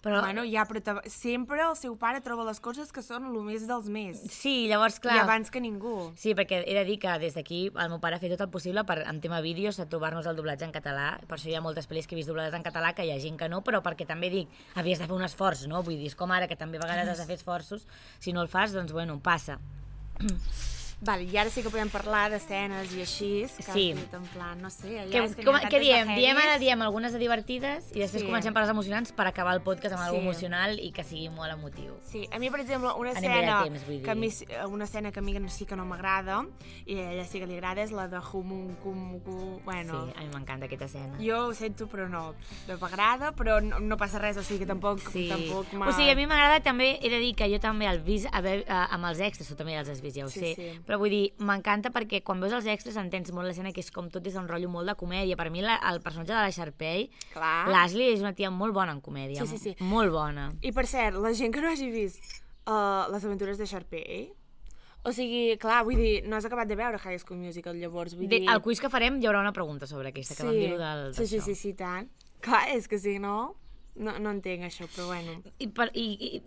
S2: però
S1: Bueno, ja, però te- sempre el seu pare troba les coses que són el més dels més.
S2: sí, llavors, clar...
S1: I abans que ningú.
S2: Sí, perquè he de dir que des d'aquí el meu pare ha fet tot el possible per, en tema vídeos, a trobar-nos el doblatge en català. Per això hi ha moltes pel·lis que he vist doblades en català, que hi ha gent que no, però perquè també dic, havies de fer un esforç, no? Vull dir, és com ara, que també a vegades has de fer esforços. Si no el fas, doncs, bueno, passa.
S1: Vale, i ara sí que podem parlar d'escenes i així, que
S2: Sí.
S1: has dit en plan, no sé, allà
S2: Que,
S1: és que
S2: com,
S1: n'hi ha
S2: què
S1: tantes
S2: diem?
S1: de
S2: Diem ara,
S1: heavies.
S2: diem algunes de divertides i després
S1: Sí.
S2: comencem per les emocionants per acabar el podcast amb
S1: Sí.
S2: alguna emocional i que sigui molt emotiu.
S1: Sí, a mi, per exemple, una
S2: Anem bé de
S1: escena,
S2: temps, vull dir.
S1: que a mi, una escena que a mi sí que no m'agrada, i a ella sí que li agrada, és la de Humunkumuku, bueno...
S2: Sí, a mi m'encanta aquesta escena.
S1: Jo ho sento, però no. No m'agrada, però no, no passa res, o sigui que tampoc...
S2: Sí.
S1: tampoc m'ha-
S2: O sigui, a mi m'agrada també, he de dir que jo també el vist, a veure, a, amb els extras, tu també els has vist, ja ho
S1: Sí,
S2: sé,
S1: sí.
S2: però vull dir, m'encanta perquè quan veus els extras entens molt l'escena que és com tot des d'un rotllo molt de comèdia. Per mi la, el personatge de la Sharpay,
S1: Clar.
S2: l'Ashley és una tia molt bona en comèdia,
S1: Sí, sí, sí.
S2: molt bona.
S1: I per cert, la gent que no hagi vist uh, les aventures de Sharpay, o sigui, clar, vull dir, no has acabat de veure High School Musical, llavors, vull
S2: De,
S1: dir...
S2: al quiz que farem hi haurà una pregunta sobre aquesta, que vam dir-ho del,
S1: sí, sí,
S2: d'això.
S1: sí, sí, tant. Clar, és que si no, no, no entenc això, però bueno.
S2: I, per, i, i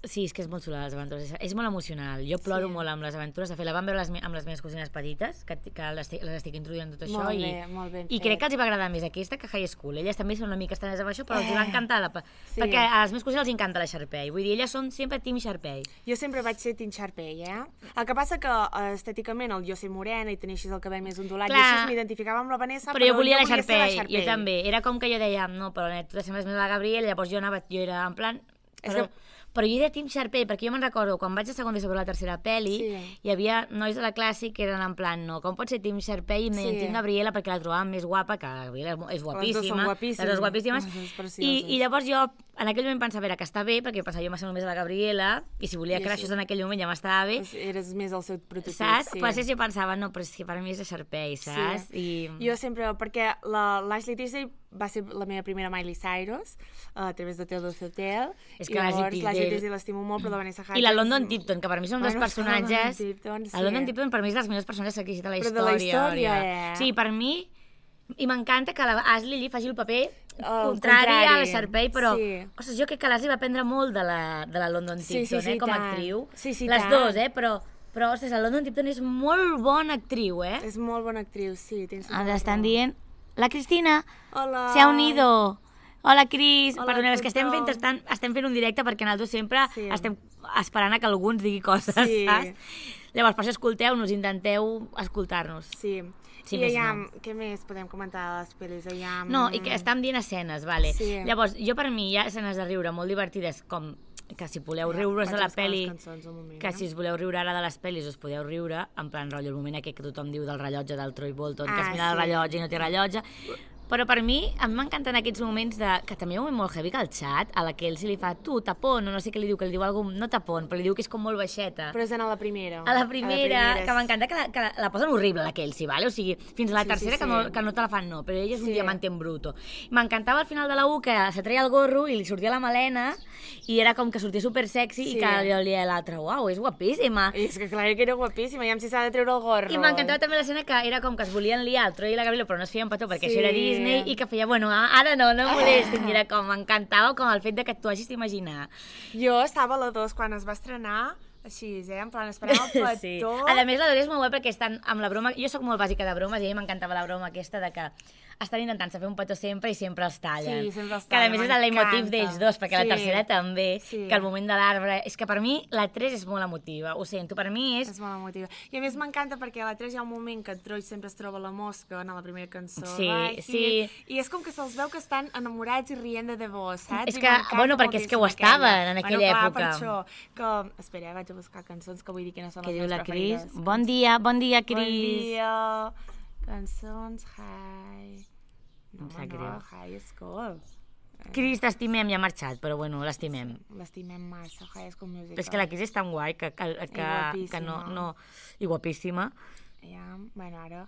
S2: Sí, és que és molt xula, les aventures. És, és molt emocional. Jo ploro
S1: Sí.
S2: molt amb les aventures. De fet, la vam veure les, me- amb les meves cosines petites, que, que les, estic- les estic introduint tot això.
S1: Molt
S2: i,
S1: bé, molt ben
S2: I
S1: fet.
S2: crec que els hi va agradar més aquesta que High School. Elles també són una mica estranyes amb això, però els hi va
S1: Eh,
S2: encantar. La,
S1: sí.
S2: Perquè a les meves cosines els encanta la Sharpay. Vull dir, elles són sempre Team Sharpay.
S1: Jo sempre vaig ser Team Sharpay, eh? El que passa que eh, estèticament el jo ser morena i tenir així el cabell més ondulat,
S2: Clar.
S1: i així m'identificava amb la Vanessa,
S2: Però jo volia la
S1: ser
S2: Sharpay, jo també. Era com que jo deia, no, però net, tu t'assembles més a la Gabriela, llavors jo anava, jo era en plan...
S1: És
S2: Però,
S1: que-
S2: però jo era Team Sharpay, perquè jo me'n recordo, quan vaig a segon de sobre la tercera pel·li,
S1: Sí.
S2: hi havia nois de la classe que eren en plan, no, com pot ser Team Sharpay i
S1: Sí.
S2: sí. Team Gabriela, perquè la trobàvem més guapa, que la Gabriela és mo- és guapíssima.
S1: Les dues són guapíssimes.
S2: Les dues guapíssimes.
S1: Les dues
S2: I,
S1: precioses.
S2: I llavors jo, en aquell moment pensava, era que està bé, perquè pensava, jo m'assemblo més a la Gabriela, i si volia
S1: I
S2: que
S1: així-
S2: això en aquell moment ja m'estava bé,
S1: Eres més el seu prototip,
S2: saps?
S1: sí.
S2: Però després jo pensava, no, però és que per mi és la Sharpay, saps?
S1: Sí.
S2: I...
S1: Jo sempre, perquè la- l'Ashley Tisdale va ser la meva primera Miley Cyrus, a través de Taylor Hotel,
S2: És
S1: i
S2: que l'Ashley
S1: llavors l'Ashley
S2: Tisdale-
S1: Tisdale l'estimo molt, però la Vanessa Hudgens...
S2: I la London Tipton, que per mi són dos
S1: Bueno,
S2: personatges...
S1: la London Tipton, sí.
S2: La London Tipton per mi és dels millors personatges que ha existit a la
S1: Però
S2: història.
S1: de la història,
S2: Òria.
S1: eh?
S2: Sí, per mi... I m'encanta que la Ashley li faci el paper
S1: El
S2: contrari, a la
S1: contrari,
S2: Sharpay, però...
S1: sí.
S2: Ostres, jo crec que l'Ashley va aprendre molt de la, de la London
S1: Sí,
S2: Tipton,
S1: sí, sí,
S2: eh, com a
S1: tant.
S2: actriu.
S1: Sí, sí,
S2: Les
S1: tant.
S2: dues, eh, però... Però, ostres, la London Tipton és molt bona actriu, eh?
S1: És molt bona actriu, sí. Tens tota
S2: Ens
S1: la
S2: estan
S1: raó.
S2: dient... La Cristina
S1: Hola.
S2: se ha unido. Hola, Cris.
S1: Hola,
S2: Perdoneu, és que estem
S1: tothom.
S2: fent, estan, estem fent un directe perquè nosaltres sempre
S1: Sí.
S2: estem esperant a que algú ens digui coses,
S1: Sí.
S2: saps? Llavors, per això escolteu-nos, intenteu escoltar-nos.
S1: Sí.
S2: Sí,
S1: I
S2: més
S1: allà,
S2: no.
S1: què més podem comentar de les pel·lis? Allà,
S2: No, i que estàvem dient escenes, vale.
S1: Sí.
S2: Llavors, jo per mi hi ha escenes de riure molt divertides, com que si voleu
S1: Ja,
S2: riure-us de
S1: vaig
S2: la
S1: buscar les
S2: pel·li,
S1: cançons un moment,
S2: que
S1: eh?
S2: si us voleu riure ara de les pel·lis us podeu riure, en plan rotllo, el moment aquest que tothom diu del rellotge del Troy Bolton, que
S1: Ah,
S2: es mira el
S1: sí.
S2: rellotge i no té rellotge. Però per mi, a mi m'encanten aquests moments de... que també hi ha un moment molt heavy que al xat, a la que ell se li fa tu, tapón, o no sé què li diu, que li diu alguna no tapón, però li diu que és com molt baixeta.
S1: Però és en la primera.
S2: A la primera, que
S1: és-
S2: m'encanta que, la, que la, la posen horrible, la Kelsey, vale? O sigui, fins a la
S1: Sí,
S2: tercera
S1: sí,
S2: que,
S1: sí.
S2: no, que no te la fan, no, però ella és un
S1: Sí.
S2: diamante en bruto. M'encantava al final de la U que se treia el gorro i li sortia la melena i era com que sortia super sexy
S1: Sí.
S2: i que li olia l'altre, uau, és guapíssima.
S1: I és que clar que era guapíssima, ja si s'ha de treure el gorro.
S2: I m'encantava també l'escena que era com que es volien liar el Troy i la Gabriela, però no es feien petó perquè
S1: Sí.
S2: això era Disney, i que feia, bueno, ara no, no em molestin. I era com, m'encantava com el fet de que t'ho hagis d'imaginar.
S1: Jo estava a la dos quan es va estrenar, així, eh? En plan, esperant el petó.
S2: Sí. A més, la Dori és molt guai perquè estan amb la broma... Jo sóc molt bàsica de bromes i a mi m'encantava la broma aquesta de que estan intentant-se fer un petó sempre i sempre els tallen.
S1: Sí, sempre els
S2: Que a
S1: tallen,
S2: més és el leitmotiv
S1: m'encanta.
S2: d'ells dos, perquè
S1: Sí.
S2: la tercera també,
S1: Sí.
S2: que el moment de l'arbre... És que per mi la tres és molt emotiva, ho sento, per mi és...
S1: És molt emotiva. I a més m'encanta perquè a la tres hi ha un moment que el Troy sempre es troba la mosca en la primera cançó.
S2: Sí,
S1: Right
S2: sí.
S1: Here. I és com que se'ls veu que estan enamorats i rient de debò, saps?
S2: És
S1: I
S2: que,
S1: m'encanta
S2: bueno, perquè és que ho
S1: moltíssim
S2: estaven
S1: aquella.
S2: en aquella
S1: bueno, clar,
S2: època.
S1: Per això, que... Espera, eh, vaig a buscar cançons que vull dir quines són
S2: Què
S1: les
S2: diu
S1: meves
S2: la Cris?
S1: preferides.
S2: Bon dia, bon dia,
S1: Bon
S2: Cris.
S1: dia. Cançons, hi. No,
S2: Em sap
S1: no,
S2: greu.
S1: High School.
S2: Cris, t'estimem, ja ha marxat, però bueno, l'estimem.
S1: L'estimem massa, High School Musical.
S2: Però és que la Cris és tan guai que, que, que, que no,
S1: guapíssima.
S2: no... I guapíssima.
S1: Ja, bueno, ara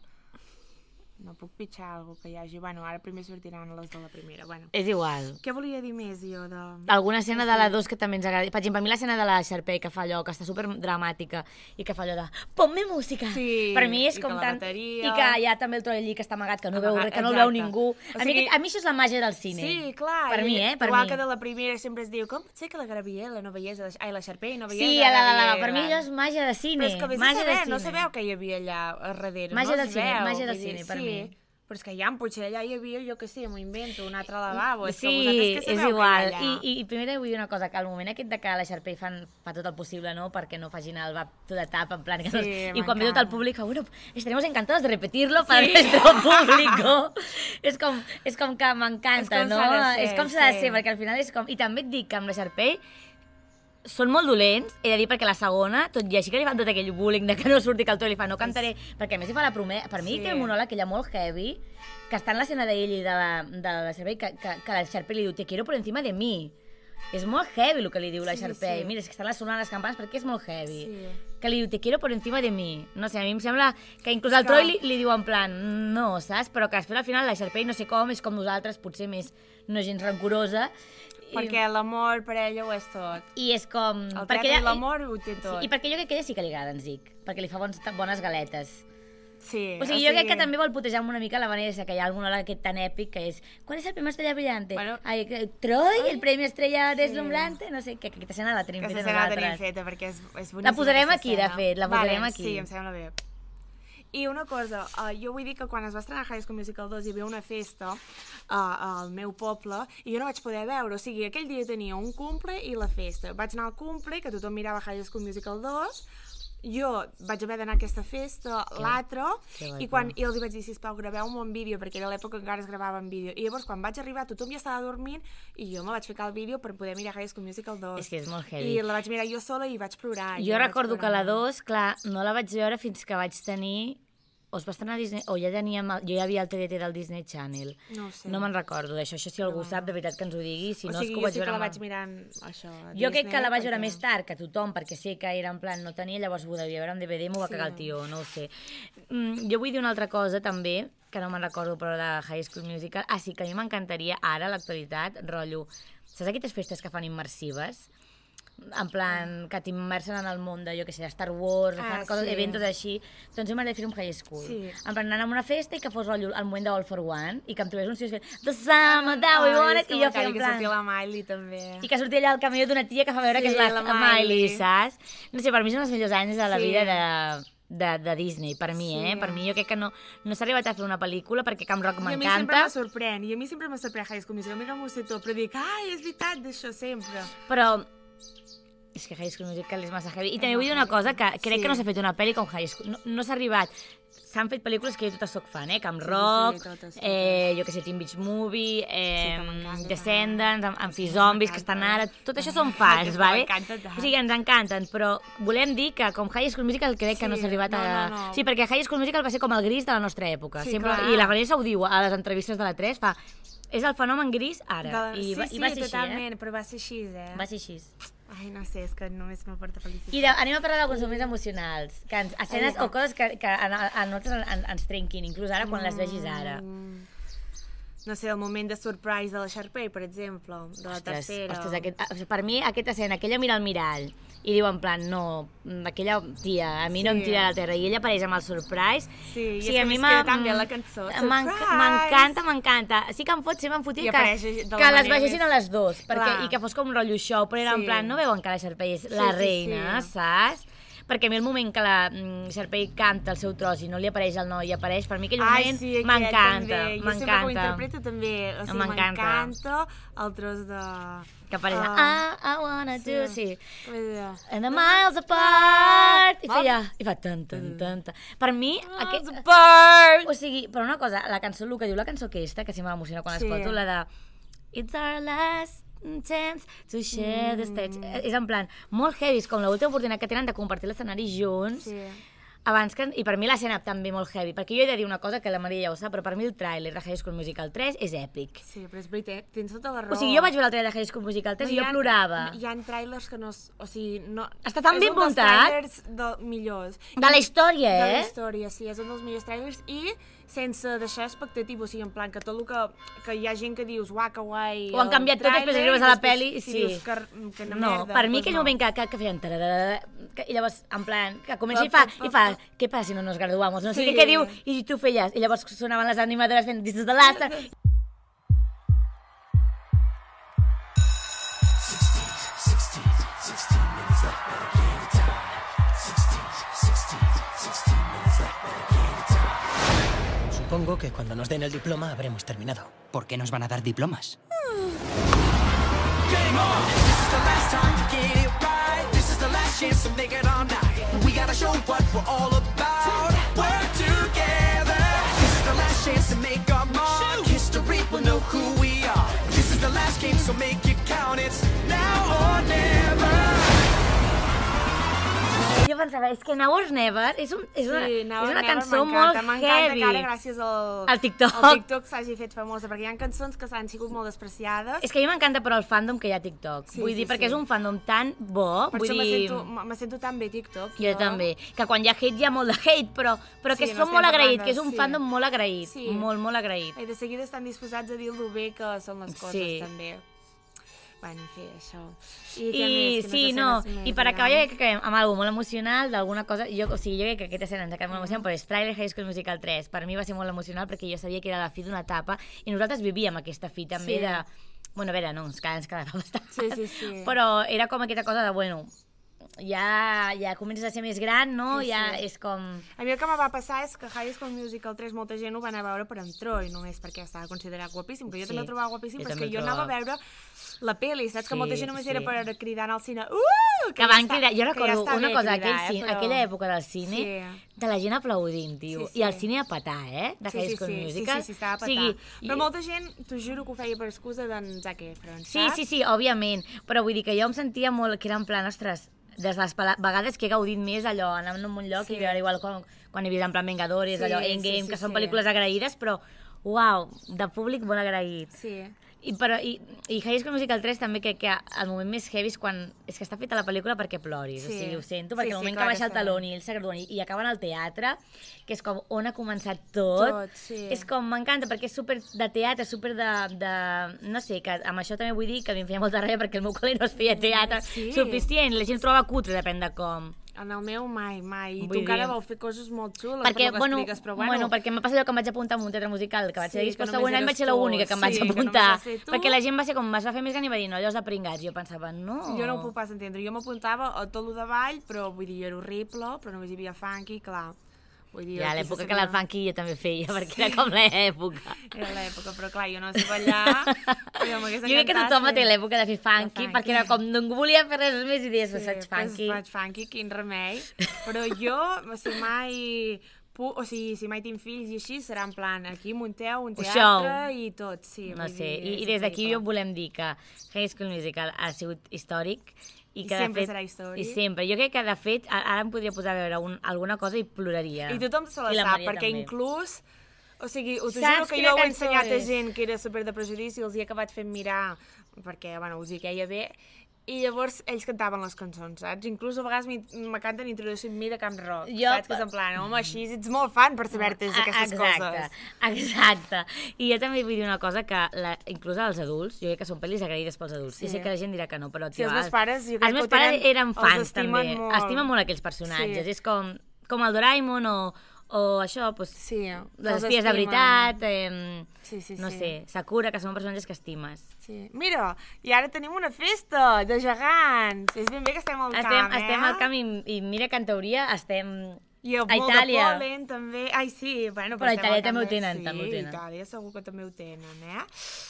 S1: no puc pitjar alguna que hi hagi. Bueno, ara primer sortiran les de la primera. Bueno,
S2: És igual.
S1: què volia dir més jo de...
S2: Alguna escena de la dos que també ens agrada. Per exemple, a mi l'escena de la Sharpay que fa allò, que està super dramàtica i que fa allò de ponme música.
S1: Sí,
S2: per mi és
S1: i
S2: com
S1: que la
S2: tan...
S1: bateria-
S2: I que hi ha també el Troy allí que està amagat, que no, veu,
S1: Amagat,
S2: que no el veu
S1: exacte.
S2: ningú.
S1: O
S2: A, mi,
S1: sigui-
S2: aquest- a mi això és la màgia del cine.
S1: Sí, clar.
S2: Per
S1: i-
S2: mi, eh? Per
S1: igual
S2: mi.
S1: que de la primera sempre es diu com pot ser que la Gabriela no veiés... La... Ai, la Sharpay no veiés
S2: Sí,
S1: la
S2: la, la, la,
S1: Gabriela.
S2: per mi allò és màgia de cine.
S1: Però és que vés a
S2: màgia
S1: saber,
S2: de cine.
S1: no sabeu què hi havia allà a darrere.
S2: Màgia
S1: no
S2: del
S1: es
S2: cine,
S1: veu,
S2: màgia del
S1: vull dir,
S2: cine, per
S1: sí.
S2: mi.
S1: Però és que ja, potser allà hi havia, jo què sé, m'ho invento, un altre lavabo. És que
S2: Sí,
S1: vosaltres què
S2: és
S1: sabeu
S2: igual.
S1: que hi ha
S2: I,
S1: allà?
S2: i, I primer vull dir una cosa, que al moment aquest de que la Sharpay fan, fa tot el possible, no?, perquè no facin el va tot de tap, en plan... Que
S1: Sí,
S2: no, I quan ve tot el
S1: m'encanta.
S2: públic, fa, bueno, estaremos encantados de repetirlo para el nuestro público. és, com, és com que m'encanta,
S1: És com
S2: no?
S1: s'ha de ser,
S2: és com s'ha de
S1: sí.
S2: ser, perquè al final és com... I també et dic que amb la Sharpay són molt dolents, he de dir, perquè la segona, tot i així que li fan tot aquell bullying de que no surti, que el Troy li fa, no cantaré, perquè a més li fa la promesa, per mi
S1: Sí.
S2: té un monòleg ella molt heavy, que està en l'escena d'ell i de la, de la Sharpay, que, que, que la Sharpay li diu, te quiero por encima de mi. És molt heavy el que li diu la
S1: Sí,
S2: Sharpay.
S1: sí.
S2: Mira, és que estan sonant les campanes perquè és molt heavy.
S1: Sí.
S2: Que li diu, te quiero por encima de mi. No sé, a mi em sembla que inclús el
S1: que-
S2: Troy li, li diu en plan, no, saps? Però que després al final la Sharpay no sé com, és com nosaltres, potser més no gens rancorosa.
S1: Perquè l'amor per ella ho és tot.
S2: I és com...
S1: El
S2: perquè
S1: teatre i
S2: ella-
S1: l'amor ho té tot.
S2: Sí, i perquè jo crec que ella sí que li agrada en Zic, perquè li fa bons, bones galetes.
S1: Sí,
S2: o sigui, jo crec que també vol putejar una mica la Vanessa, que hi ha algun hora aquest tan èpic que és ¿cuál es el premio Estrella Brillante? Bueno, Ai, Troy, el Premi Estrella Deslumbrante, no sé, que aquesta escena la tenim feta nosaltres.
S1: Aquesta escena la tenim feta perquè és, és boníssima.
S2: La posarem aquí, de fet, la posarem
S1: vale,
S2: aquí.
S1: Sí, em sembla bé. I una cosa, uh, jo vull dir que quan es va estrenar High School Musical dos hi havia una festa uh, al meu poble i jo no vaig poder veure, o sigui, aquell dia tenia un cumple i la festa. Vaig anar al cumple, que tothom mirava High School Musical dos, jo vaig haver d'anar a aquesta festa, l'altre, i, quan, i els hi vaig dir, sisplau, graveu-me un vídeo, perquè era l'època que encara es gravava en vídeo. I llavors, quan vaig arribar, tothom ja estava dormint, i jo me vaig ficar el vídeo per poder mirar High School Musical dos.
S2: És que és molt heavy.
S1: I la vaig mirar jo sola i vaig plorar.
S2: Jo recordo que la dos, clar, no la vaig veure fins que vaig tenir... o es va estrenar a Disney, o ja teníem, jo ja havia el T D T del Disney Channel.
S1: No ho sé.
S2: No me'n recordo d'això, això si algú
S1: no.
S2: sap, de veritat que ens ho digui, si
S1: o
S2: no
S1: sigui,
S2: és que ho
S1: jo
S2: vaig
S1: sí
S2: veure...
S1: que la
S2: amb...
S1: vaig mirant, això, a
S2: Jo
S1: Disney,
S2: crec que la vaig veure
S1: perquè...
S2: més tard que tothom, perquè sé que era en plan, no tenia, llavors ho devia veure en D V D, m'ho va
S1: Sí.
S2: cagar el tio, no ho sé. Mm, jo vull dir una altra cosa, també, que no me'n recordo, però de High School Musical. Ah, sí, que a mi m'encantaria, ara, a l'actualitat, rotllo, saps aquestes festes que fan immersives? En plan, que t'immersen en el món de, jo què sé, Star Wars,
S1: Ah,
S2: coses,
S1: sí.
S2: eventos així, doncs jo m'agradaria fer un high school.
S1: Sí.
S2: En plan, anar a una festa i que fos rotllo al moment de All for One, i que em trobés uns tios fent The summer that we wanted, i jo fent en
S1: que
S2: plan...
S1: sortia la Miley, també.
S2: I que sortia allà al camió d'una tia que fa veure
S1: Sí,
S2: que és la,
S1: la
S2: la Miley,
S1: Miley,
S2: saps? No sé, per mi són els millors anys de la
S1: Sí.
S2: vida de, de, de Disney, per mi,
S1: Sí.
S2: eh? Per mi jo crec que no, no s'ha arribat a fer una pel·lícula perquè Camp Rock
S1: I a mi sempre
S2: m'encanta,
S1: me sorprèn, i a mi sempre me sorprèn High School Musical. Mira, m'ho sé tot, però dic, ai, és veritat d'això sempre.
S2: però és que High School Musical és massa heavy. I també vull dir una cosa, que crec
S1: Sí.
S2: que no s'ha fet una pel·li com High School. No, no s'ha arribat. S'han fet pel·lícules que jo totes soc fan, eh? Camp
S1: Sí, sí,
S2: Rock,
S1: sí, totes, totes.
S2: eh, jo que sé, Teen Beach Movie, eh,
S1: Sí, que m'encanta.
S2: Descendants, Am-
S1: Sí,
S2: Amphizombies, que
S1: m'encanta.
S2: estan ara... Tot això són
S1: Que
S2: fans, vale?
S1: m'encanta tant.
S2: O sigui, ens encanten, però volem dir que com High School Musical crec que
S1: Sí,
S2: no s'ha arribat
S1: no,
S2: a...
S1: no, no.
S2: Sí, perquè High School Musical va ser com el gris de la nostra època.
S1: Sí,
S2: Sempre...
S1: clar.
S2: I la Vanessa ho diu a les entrevistes de la tres, fa... És el fenomen gris ara.
S1: De la...
S2: I, va,
S1: sí,
S2: i va
S1: sí,
S2: ser
S1: totalment,
S2: així,
S1: però va ser així, eh?
S2: eh? Va ser així.
S1: Ai, no sé, és que només m'aporta felicitat.
S2: I de, anem a parlar d'alguns moments emocionals, que ens, escenes
S1: Ai,
S2: o coses que, que a, a nosaltres en, ens trenquin, inclús ara quan les vegis ara.
S1: Mm, no sé, el moment de surprise de la Sharpay, per exemple, de la
S2: Ostres,
S1: tercera.
S2: ostres aquest, per mi aquesta escena, que ella mira al mirall i diu en plan, no, aquella tia, a mi sí. no em tira a la terra, i ella apareix amb el surprise.
S1: Sí, i
S2: sí,
S1: és que
S2: a
S1: a
S2: mi
S1: mi
S2: m'ha-
S1: queda tan bé la cançó.
S2: M'enc-
S1: Surprise!
S2: M'encanta, m'encanta. Sí que em fot, sempre em fotia
S1: I
S2: que,
S1: apareix de la
S2: que les
S1: manera
S2: vegessin
S1: més-
S2: a les dues, perquè,
S1: Clar.
S2: i que fos com un rotllo show, però era
S1: Sí.
S2: en plan, no veuen que la Sharpay és
S1: Sí,
S2: la
S1: sí,
S2: reina,
S1: sí.
S2: saps? Perquè a mi el moment que la mm, Sharpay canta el seu tros i no li apareix el noi i apareix, per mi aquell
S1: Ai,
S2: moment
S1: sí, aquest
S2: m'encanta,
S1: també. Jo sempre que ho
S2: m'encanta.
S1: interpreto també, o sigui,
S2: M'encanta.
S1: m'encanta el tros de...
S2: Que apareix,
S1: Ah.
S2: ah, I wanna
S1: Sí.
S2: do, sí.
S1: Com es deia?
S2: And the miles apart! I feia, i fa tan, tan, tan, tan. Per mi, aquest...
S1: Bird!
S2: O sigui, però una cosa, la cançó, el que diu la cançó aquesta, que sempre m'emociona quan
S1: Sí.
S2: l'escolto, la de It's our last chance to share the stage.
S1: Mm.
S2: És en plan, molt heavy, és com l'última oportunitat que tenen de compartir l'escenari junts.
S1: Sí.
S2: Abans que, I per mi l'escena també molt heavy, perquè jo he de dir una cosa que la Maria ja ho sap, però per mi el tràiler de High School Musical tres és èpic.
S1: Sí, però és veritat, tens tota la raó.
S2: O sigui, jo vaig veure el tràiler de High School Musical tres
S1: No,
S2: i
S1: hi
S2: jo
S1: ha-
S2: plorava.
S1: Hi ha trailers que no... s- O sigui, no...
S2: Està tan
S1: és
S2: ben
S1: un dels
S2: muntat.
S1: trailers de, millors.
S2: De la història,
S1: De la
S2: eh?
S1: història, sí, és un dels millors trailers i sense deixar expectativa, o sigui, en plan que tot el que... Que hi ha gent que dius, uah, que guai...
S2: Ho han
S1: el
S2: canviat tot, després
S1: tràiler,
S2: arribes a la
S1: després,
S2: peli,
S1: si
S2: sí.
S1: dius que, que no,
S2: No,
S1: merda,
S2: per mi
S1: doncs
S2: aquell
S1: no.
S2: moment que, que, que feien... tararara, que, I llavors, en plan, que comença i
S1: Pa,
S2: fa,
S1: pa, pa,
S2: i fa,
S1: pa.
S2: què passa si no nos graduamos? No sé
S1: Sí.
S2: què, què diu, i tu feies. I llavors sonaven les animadores fent This is the last time.
S5: Supongo que cuando nos den el diploma habremos terminado.
S6: ¿Por qué nos van a dar diplomas?
S3: Game on! This is the last time to get it right. This is the last chance to make it all night. We gotta show what we're all about. Work together. This is the last chance to make our mark. History will know who we are. This is the last game, so make it count. It's now or never.
S2: Jo pensava, és que Now or Never és, un, és, una,
S1: Sí, Now
S2: és
S1: or
S2: una
S1: Never
S2: cançó
S1: m'encanta,
S2: molt
S1: m'encanta
S2: heavy.
S1: que ara gràcies al,
S2: Al TikTok.
S1: al TikTok s'hagi fet famosa, perquè hi ha cançons que s'han sigut molt despreciades.
S2: És que a mi m'encanta però el fandom que hi ha a TikTok.
S1: Sí,
S2: Vull
S1: sí,
S2: dir, perquè
S1: sí.
S2: és un fandom tan bo.
S1: Per
S2: vull
S1: això me
S2: dir...
S1: sento, me sento tan bé TikTok.
S2: Jo també. Que quan hi ha hate hi ha molt de hate, però, però que
S1: Sí, no
S2: som
S1: estem
S2: molt
S1: parlant
S2: agraït,
S1: de-
S2: que és un
S1: sí.
S2: fandom molt agraït.
S1: Sí.
S2: Molt, molt agraït.
S1: I de seguida estan disposats a dir lo bé que són les coses,
S2: Sí.
S1: també. Bueno, en fi, això. I, què
S2: I
S1: més?
S2: sí,
S1: Quines
S2: no,
S1: escenes
S2: i
S1: més
S2: per
S1: hi ha?
S2: acabar jo crec que acabem amb alguna molt emocional, d'alguna cosa, jo, o sigui, jo crec que aquesta escena ens ha quedat molt emocionant, però és Trailer High School Musical tres, per mi va ser molt emocional perquè jo sabia que era la fi d'una etapa i nosaltres vivíem aquesta fi també
S1: Sí.
S2: de... Bueno, a veure, no, ens quedava, ens quedava bastant.
S1: Sí, sí, sí.
S2: Però era com aquesta cosa de, bueno, ja, ja comences a ser més gran, no?
S1: Sí,
S2: Ja
S1: sí.
S2: és com...
S1: A mi el que me va passar és que High School Musical tres molta gent ho va anar a veure per entró i només perquè estava considerat guapíssim, que jo
S2: Sí,
S1: també el trobava guapíssim,
S2: jo
S1: però és
S2: també
S1: que jo
S2: el
S1: anava a
S2: trobava.
S1: veure la peli, saps?
S2: Sí,
S1: Que molta gent només
S2: sí.
S1: era per cridar al cine. Uh!
S2: Que van
S1: ja
S2: cridar, jo
S1: està- que ja
S2: recordo
S1: està
S2: una
S1: bé
S2: cosa,
S1: cridar,
S2: aquell cine,
S1: eh, però-
S2: aquella època del cine,
S1: Sí.
S2: de la gent aplaudint, tio,
S1: Sí, sí.
S2: i el cine a petar, eh, de
S1: Sí,
S2: High
S1: sí,
S2: School
S1: sí,
S2: Musical.
S1: sí, sí, sí, estava a
S2: O
S1: petar.
S2: sigui,
S1: Però
S2: i-
S1: molta gent, t'ho juro que ho feia per excusa d'en Zac Efron,
S2: Sí,
S1: saps?
S2: sí, sí, òbviament, però vull dir que jo em sentia molt, que era en plan, ostres, des de les pala- vegades que he gaudit més allò, anar a un lloc
S1: Sí.
S2: i veure igual quan, quan he vist en plan Vengadores,
S1: Sí,
S2: allò,
S1: sí,
S2: Endgame,
S1: sí,
S2: que són
S1: sí.
S2: pel·lícules agraïdes, però, uau, de públic molt agraït.
S1: Sí.
S2: I, però, i, i High School Musical tres també crec que el moment més heavy és quan... És que està feta la pel·lícula perquè ploris,
S1: Sí.
S2: o sigui, ho sento,
S1: Sí,
S2: perquè
S1: sí,
S2: el moment
S1: clar
S2: que
S1: que
S2: baixa el
S1: està bé.
S2: taló i ell s'agradona i acaben al teatre, que és com on ha començat tot,
S1: Tot, sí.
S2: és com, m'encanta, perquè és super de teatre, super de, de... No sé, que amb això també vull dir que a mi em feia molta ràbia perquè el meu col·le no es feia teatre
S1: Sí.
S2: suficient, la gent trobava cutre, depèn de com.
S1: En el meu mai, mai. I
S2: Vull
S1: tu encara
S2: dir-
S1: vau fer coses molt xules
S2: Perquè,
S1: per lo que
S2: bueno,
S1: expliques, però
S2: bueno,
S1: bueno...
S2: perquè m'ha passat allò que em vaig apuntar en un teatre musical, que vaig
S1: Sí,
S2: dir,
S1: que
S2: després el
S1: només
S2: següent any
S1: eres
S2: vaig ser
S1: tu.
S2: l'única que em vaig
S1: Sí, que només
S2: apuntar,
S1: vas ser tu.
S2: perquè la gent va ser com, es va fer més gran i va dir, no, allò és de pringats, jo pensava, no...
S1: Jo no ho puc pas entendre. Jo m'apuntava a tot lo de ball, però vull dir, era horrible, però només hi havia funky, clar. Vull dir,
S2: Ja,
S1: aquí
S2: l'època
S1: se
S2: que la
S1: sabia-
S2: funky jo també feia, perquè era com l'època.
S1: Era l'època, però clar, jo no sé ballar. Jo,
S2: Jo crec que tothom té l'època de fer funky,
S1: funky.
S2: perquè era com, ningú volia fer res més i deies,
S1: Sí,
S2: sí, faig
S1: pues
S2: funky.
S1: faig funky, quin remei. Però jo, o sigui, mai... pu- O sigui, si mai tinc fills i així, serà en plan, aquí munteu un
S2: Un
S1: teatre
S2: show.
S1: i tot, sí.
S2: No
S1: vull
S2: sé,
S1: dir,
S2: i,
S1: és
S2: i des d'aquí
S1: increïble.
S2: jo volem dir que High School Musical ha sigut històric i
S1: I
S2: que
S1: sempre
S2: de fet,
S1: serà històric.
S2: I sempre. Jo crec que de fet a- ara em podria posar a veure un, alguna cosa i ploraria.
S1: I tothom se la
S2: I la
S1: sap,
S2: Maria
S1: perquè
S2: també.
S1: inclús... O sigui, us ho
S2: Saps
S1: juro que
S2: quina
S1: jo ho he
S2: cançó
S1: ensenyat a
S2: és?
S1: gent que era super de prejudici i els hi he acabat fent mirar, perquè, bueno, us hi queia bé, i llavors ells cantaven les cançons, saps? Inclús a vegades m'hi- me canten Introducing Me de Camp Rock,
S2: Jo-
S1: saps? Que és en plan, home, així ets molt fan per saber-te
S2: Ah,
S1: aquestes
S2: exacte,
S1: coses.
S2: Exacte. I jo també vull dir una cosa, que la, inclús als adults, jo crec que són pel·lis agraïdes pels adults. Sí.
S1: Sí.
S2: I sé que la gent dirà que no, però...
S1: Sí,
S2: Tio,
S1: els meus pares, jo crec
S2: els
S1: que
S2: meus
S1: ho
S2: pares
S1: tenen-
S2: eren
S1: els
S2: fans,
S1: estimen
S2: també.
S1: molt.
S2: Estimen molt aquells personatges.
S1: Sí.
S2: És com, com el Doraemon o, o això, doncs,
S1: Sí,
S2: les
S1: els
S2: espies de
S1: estimen.
S2: veritat, eh,
S1: Sí, sí,
S2: no
S1: sí.
S2: sé, Sakura, que són personatges que estimes.
S1: Sí. Mira, i ara tenim una festa de gegants. És ben bé que estem al
S2: Estem,
S1: camp, eh?
S2: estem al camp i, i mira que en teoria estem
S1: I el
S2: a
S1: molt
S2: Itàlia.
S1: de pol·len, també. Ai, sí, bueno,
S2: Però a
S1: estem
S2: Itàlia
S1: al camp
S2: també ho
S1: de-
S2: tenen,
S1: sí,
S2: també ho tenen.
S1: a Itàlia segur que també ho tenen, eh?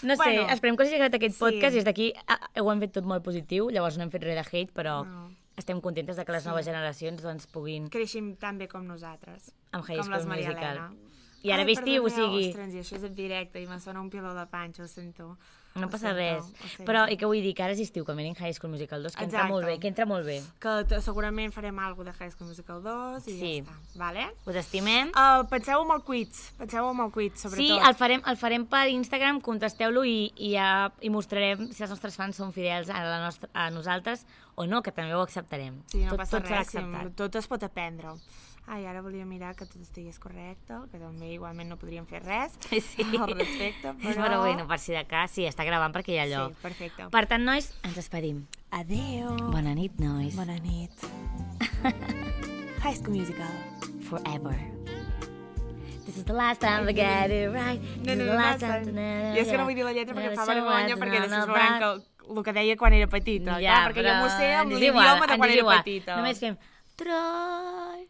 S2: No sé,
S1: Bueno,
S2: esperem que us hagi agradat aquest
S1: sí.
S2: podcast i des d'aquí ah, ho hem fet tot molt positiu, llavors no hem fet res de hate, però
S1: No.
S2: estem contentes de que les
S1: Sí.
S2: noves generacions doncs, puguin
S1: Creixim tan bé com nosaltres.
S2: amb High
S1: com
S2: School
S1: les Maria
S2: Musical.
S1: Elena.
S2: I ara
S1: Ai,
S2: vestiu, o
S1: perdoneu,
S2: sigui,
S1: Ostres, i això és en directe i me sona un piló de panxa, ho sento.
S2: no
S1: Ho
S2: passa
S1: sento,
S2: res.
S1: ho sento.
S2: Però, i què vull dir? Que ara és estiu, que mirin High School Musical dos, que entra
S1: Exacte.
S2: molt bé, que entra molt bé.
S1: Que t- segurament farem alguna cosa de High School Musical dos i
S2: Sí.
S1: ja està, vale?
S2: Us estimem.
S1: Uh, penseu en el quiz, penseu en el quiz, sobretot.
S2: Sí, el farem, el farem per Instagram, contesteu-lo i, i, ja, i mostrarem si els nostres fans són fidels a, la nostra, a nosaltres o no, que també ho acceptarem.
S1: Sí, no
S2: tot,
S1: passa
S2: tot serà
S1: res, sí,
S2: acceptat.
S1: tot es pot aprendre. Ai, ara volia mirar que tot estigués correcte, que també igualment no podríem fer res
S2: Sí.
S1: al respecte, però...
S2: Però bueno, per si de cas, sí, està gravant perquè hi ha allò.
S1: Sí, perfecte.
S2: Per tant, nois, ens despedim.
S1: Adéu.
S2: Bona nit, nois.
S1: Bona nit. High School Musical.
S2: Forever. This is the last time we get it right. This
S1: No,
S2: is
S1: no,
S2: the
S1: no,
S2: last
S1: no,
S2: time...
S1: no. Jo és que no vull dir la lletra perquè em fa
S2: So
S1: vergonya,
S2: what,
S1: perquè
S2: no,
S1: després
S2: no,
S1: veuran
S2: but-
S1: que el que deia quan era petita,
S2: Ja,
S1: clar, perquè jo m'ho sé amb
S2: ens és igual,
S1: l'idioma de
S2: ens
S1: quan
S2: és
S1: era
S2: igual.
S1: petita.
S2: Només fem... Troy.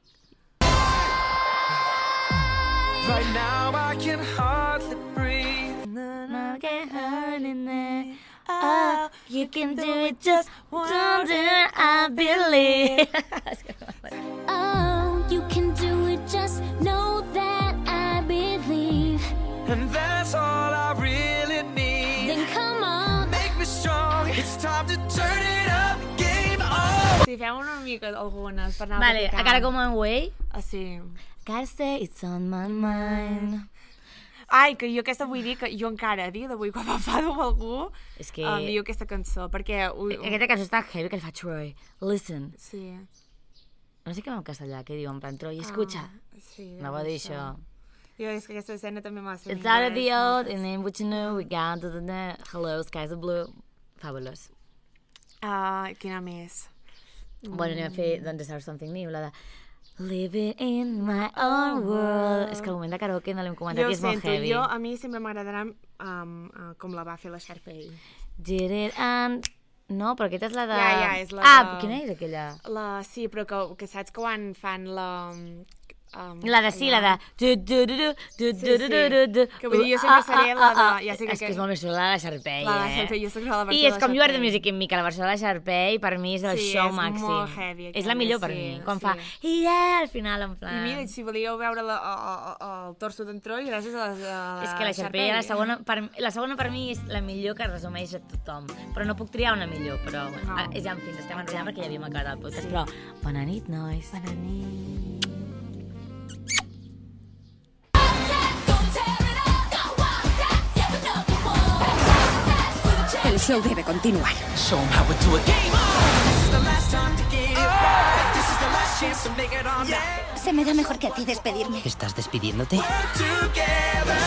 S3: Right now I can hardly breathe.
S2: Not get hurt in there. Oh, you can do it just once and I believe.
S4: Oh, you can do it, just know that I believe.
S3: And that's all I really need.
S4: Then come on.
S3: Make me strong. It's time to turn it up. Game on.
S1: Sí, fem una mica algunes per anar
S2: Vale,
S1: practicant.
S2: a cara com un way.
S1: Ah, sí.
S2: Gotta say it's on my mind.
S1: Ai, que jo aquesta vull dir que jo encara, a dia d'avui, quan m'enfado amb algú,
S2: És que...
S1: em diu aquesta cançó, perquè... Ui,
S2: Aquesta cançó està heavy que li fa Troy. Listen.
S1: Sí.
S2: No sé què en castellà, què diu en plan Troy, escucha.
S1: Ah, sí,
S2: No va dir això.
S1: Jo, és que aquesta escena també m'ha de ser en
S2: It's out of the
S1: anglès,
S2: old, and then what you know, we got to the net. Hello, skies are blue. Fabulous.
S1: Uh, quina més?
S2: Bueno, anem a fer, doncs, Start Something New, la de Living in my own world. És que el moment de karaoke no l'hem comentat
S1: Jo
S2: i és molt
S1: sento,
S2: heavy.
S1: jo, a mi sempre m'agradarà um, uh, com la va fer la Sharpay.
S2: Did it and... No, però aquesta és la de...
S1: Ja, ja, és la
S2: ah,
S1: de-
S2: quina és aquella?
S1: La, sí, però que, que saps que quan fan la... Um,
S2: La de sí, la de... Du, du, du, du, du,
S1: Sí,
S2: du, du, du, du, du.
S1: que vull dir, jo sempre seré la de- ja sé que-
S2: És que és molt més xula la de Sharpay,
S1: La de
S2: eh?
S1: Sharpay, jo soc la versió
S2: I
S1: de
S2: és com
S1: la
S2: You Are the
S1: Sharpay.
S2: Music in Me, que la versió de la Sharpay per mi és el
S1: Sí,
S2: show
S1: és
S2: màxim.
S1: molt heavy,
S2: És la
S1: aquella,
S2: millor per
S1: sí,
S2: mi, quan
S1: sí.
S2: fa yeah, al final, en plan...
S1: I mira, si volíeu veure la, a, a, a, el torso d'en Troy, gràcies a la, a
S2: És que la Sharpay, la segona, per, la segona per mi és la millor que resumeix a tothom. Però no puc triar una millor, però... Bueno,
S1: No.
S2: ja, en fi, ens estem enrotllant perquè ja havíem acabat el podcast, però... Bona nit, nois. Bona nit.
S7: El show debe continuar.
S3: Show 'em how we do it. Game on! This is the last time to get it right. This is the last chance to make it all night.
S7: Se me da mejor que a ti despedirme.
S5: ¿Estás despidiéndote?
S3: We're together.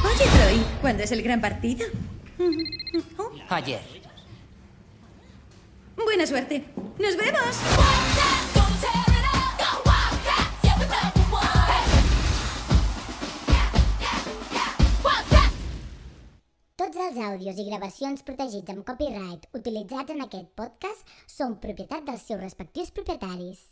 S7: Oye, Troy, ¿cuándo es el gran partido? Oh,
S5: Ayer.
S7: buena suerte. ¡Nos vemos!
S8: Tots els àudios i gravacions protegits amb copyright utilitzats en aquest podcast són propietat dels seus respectius propietaris.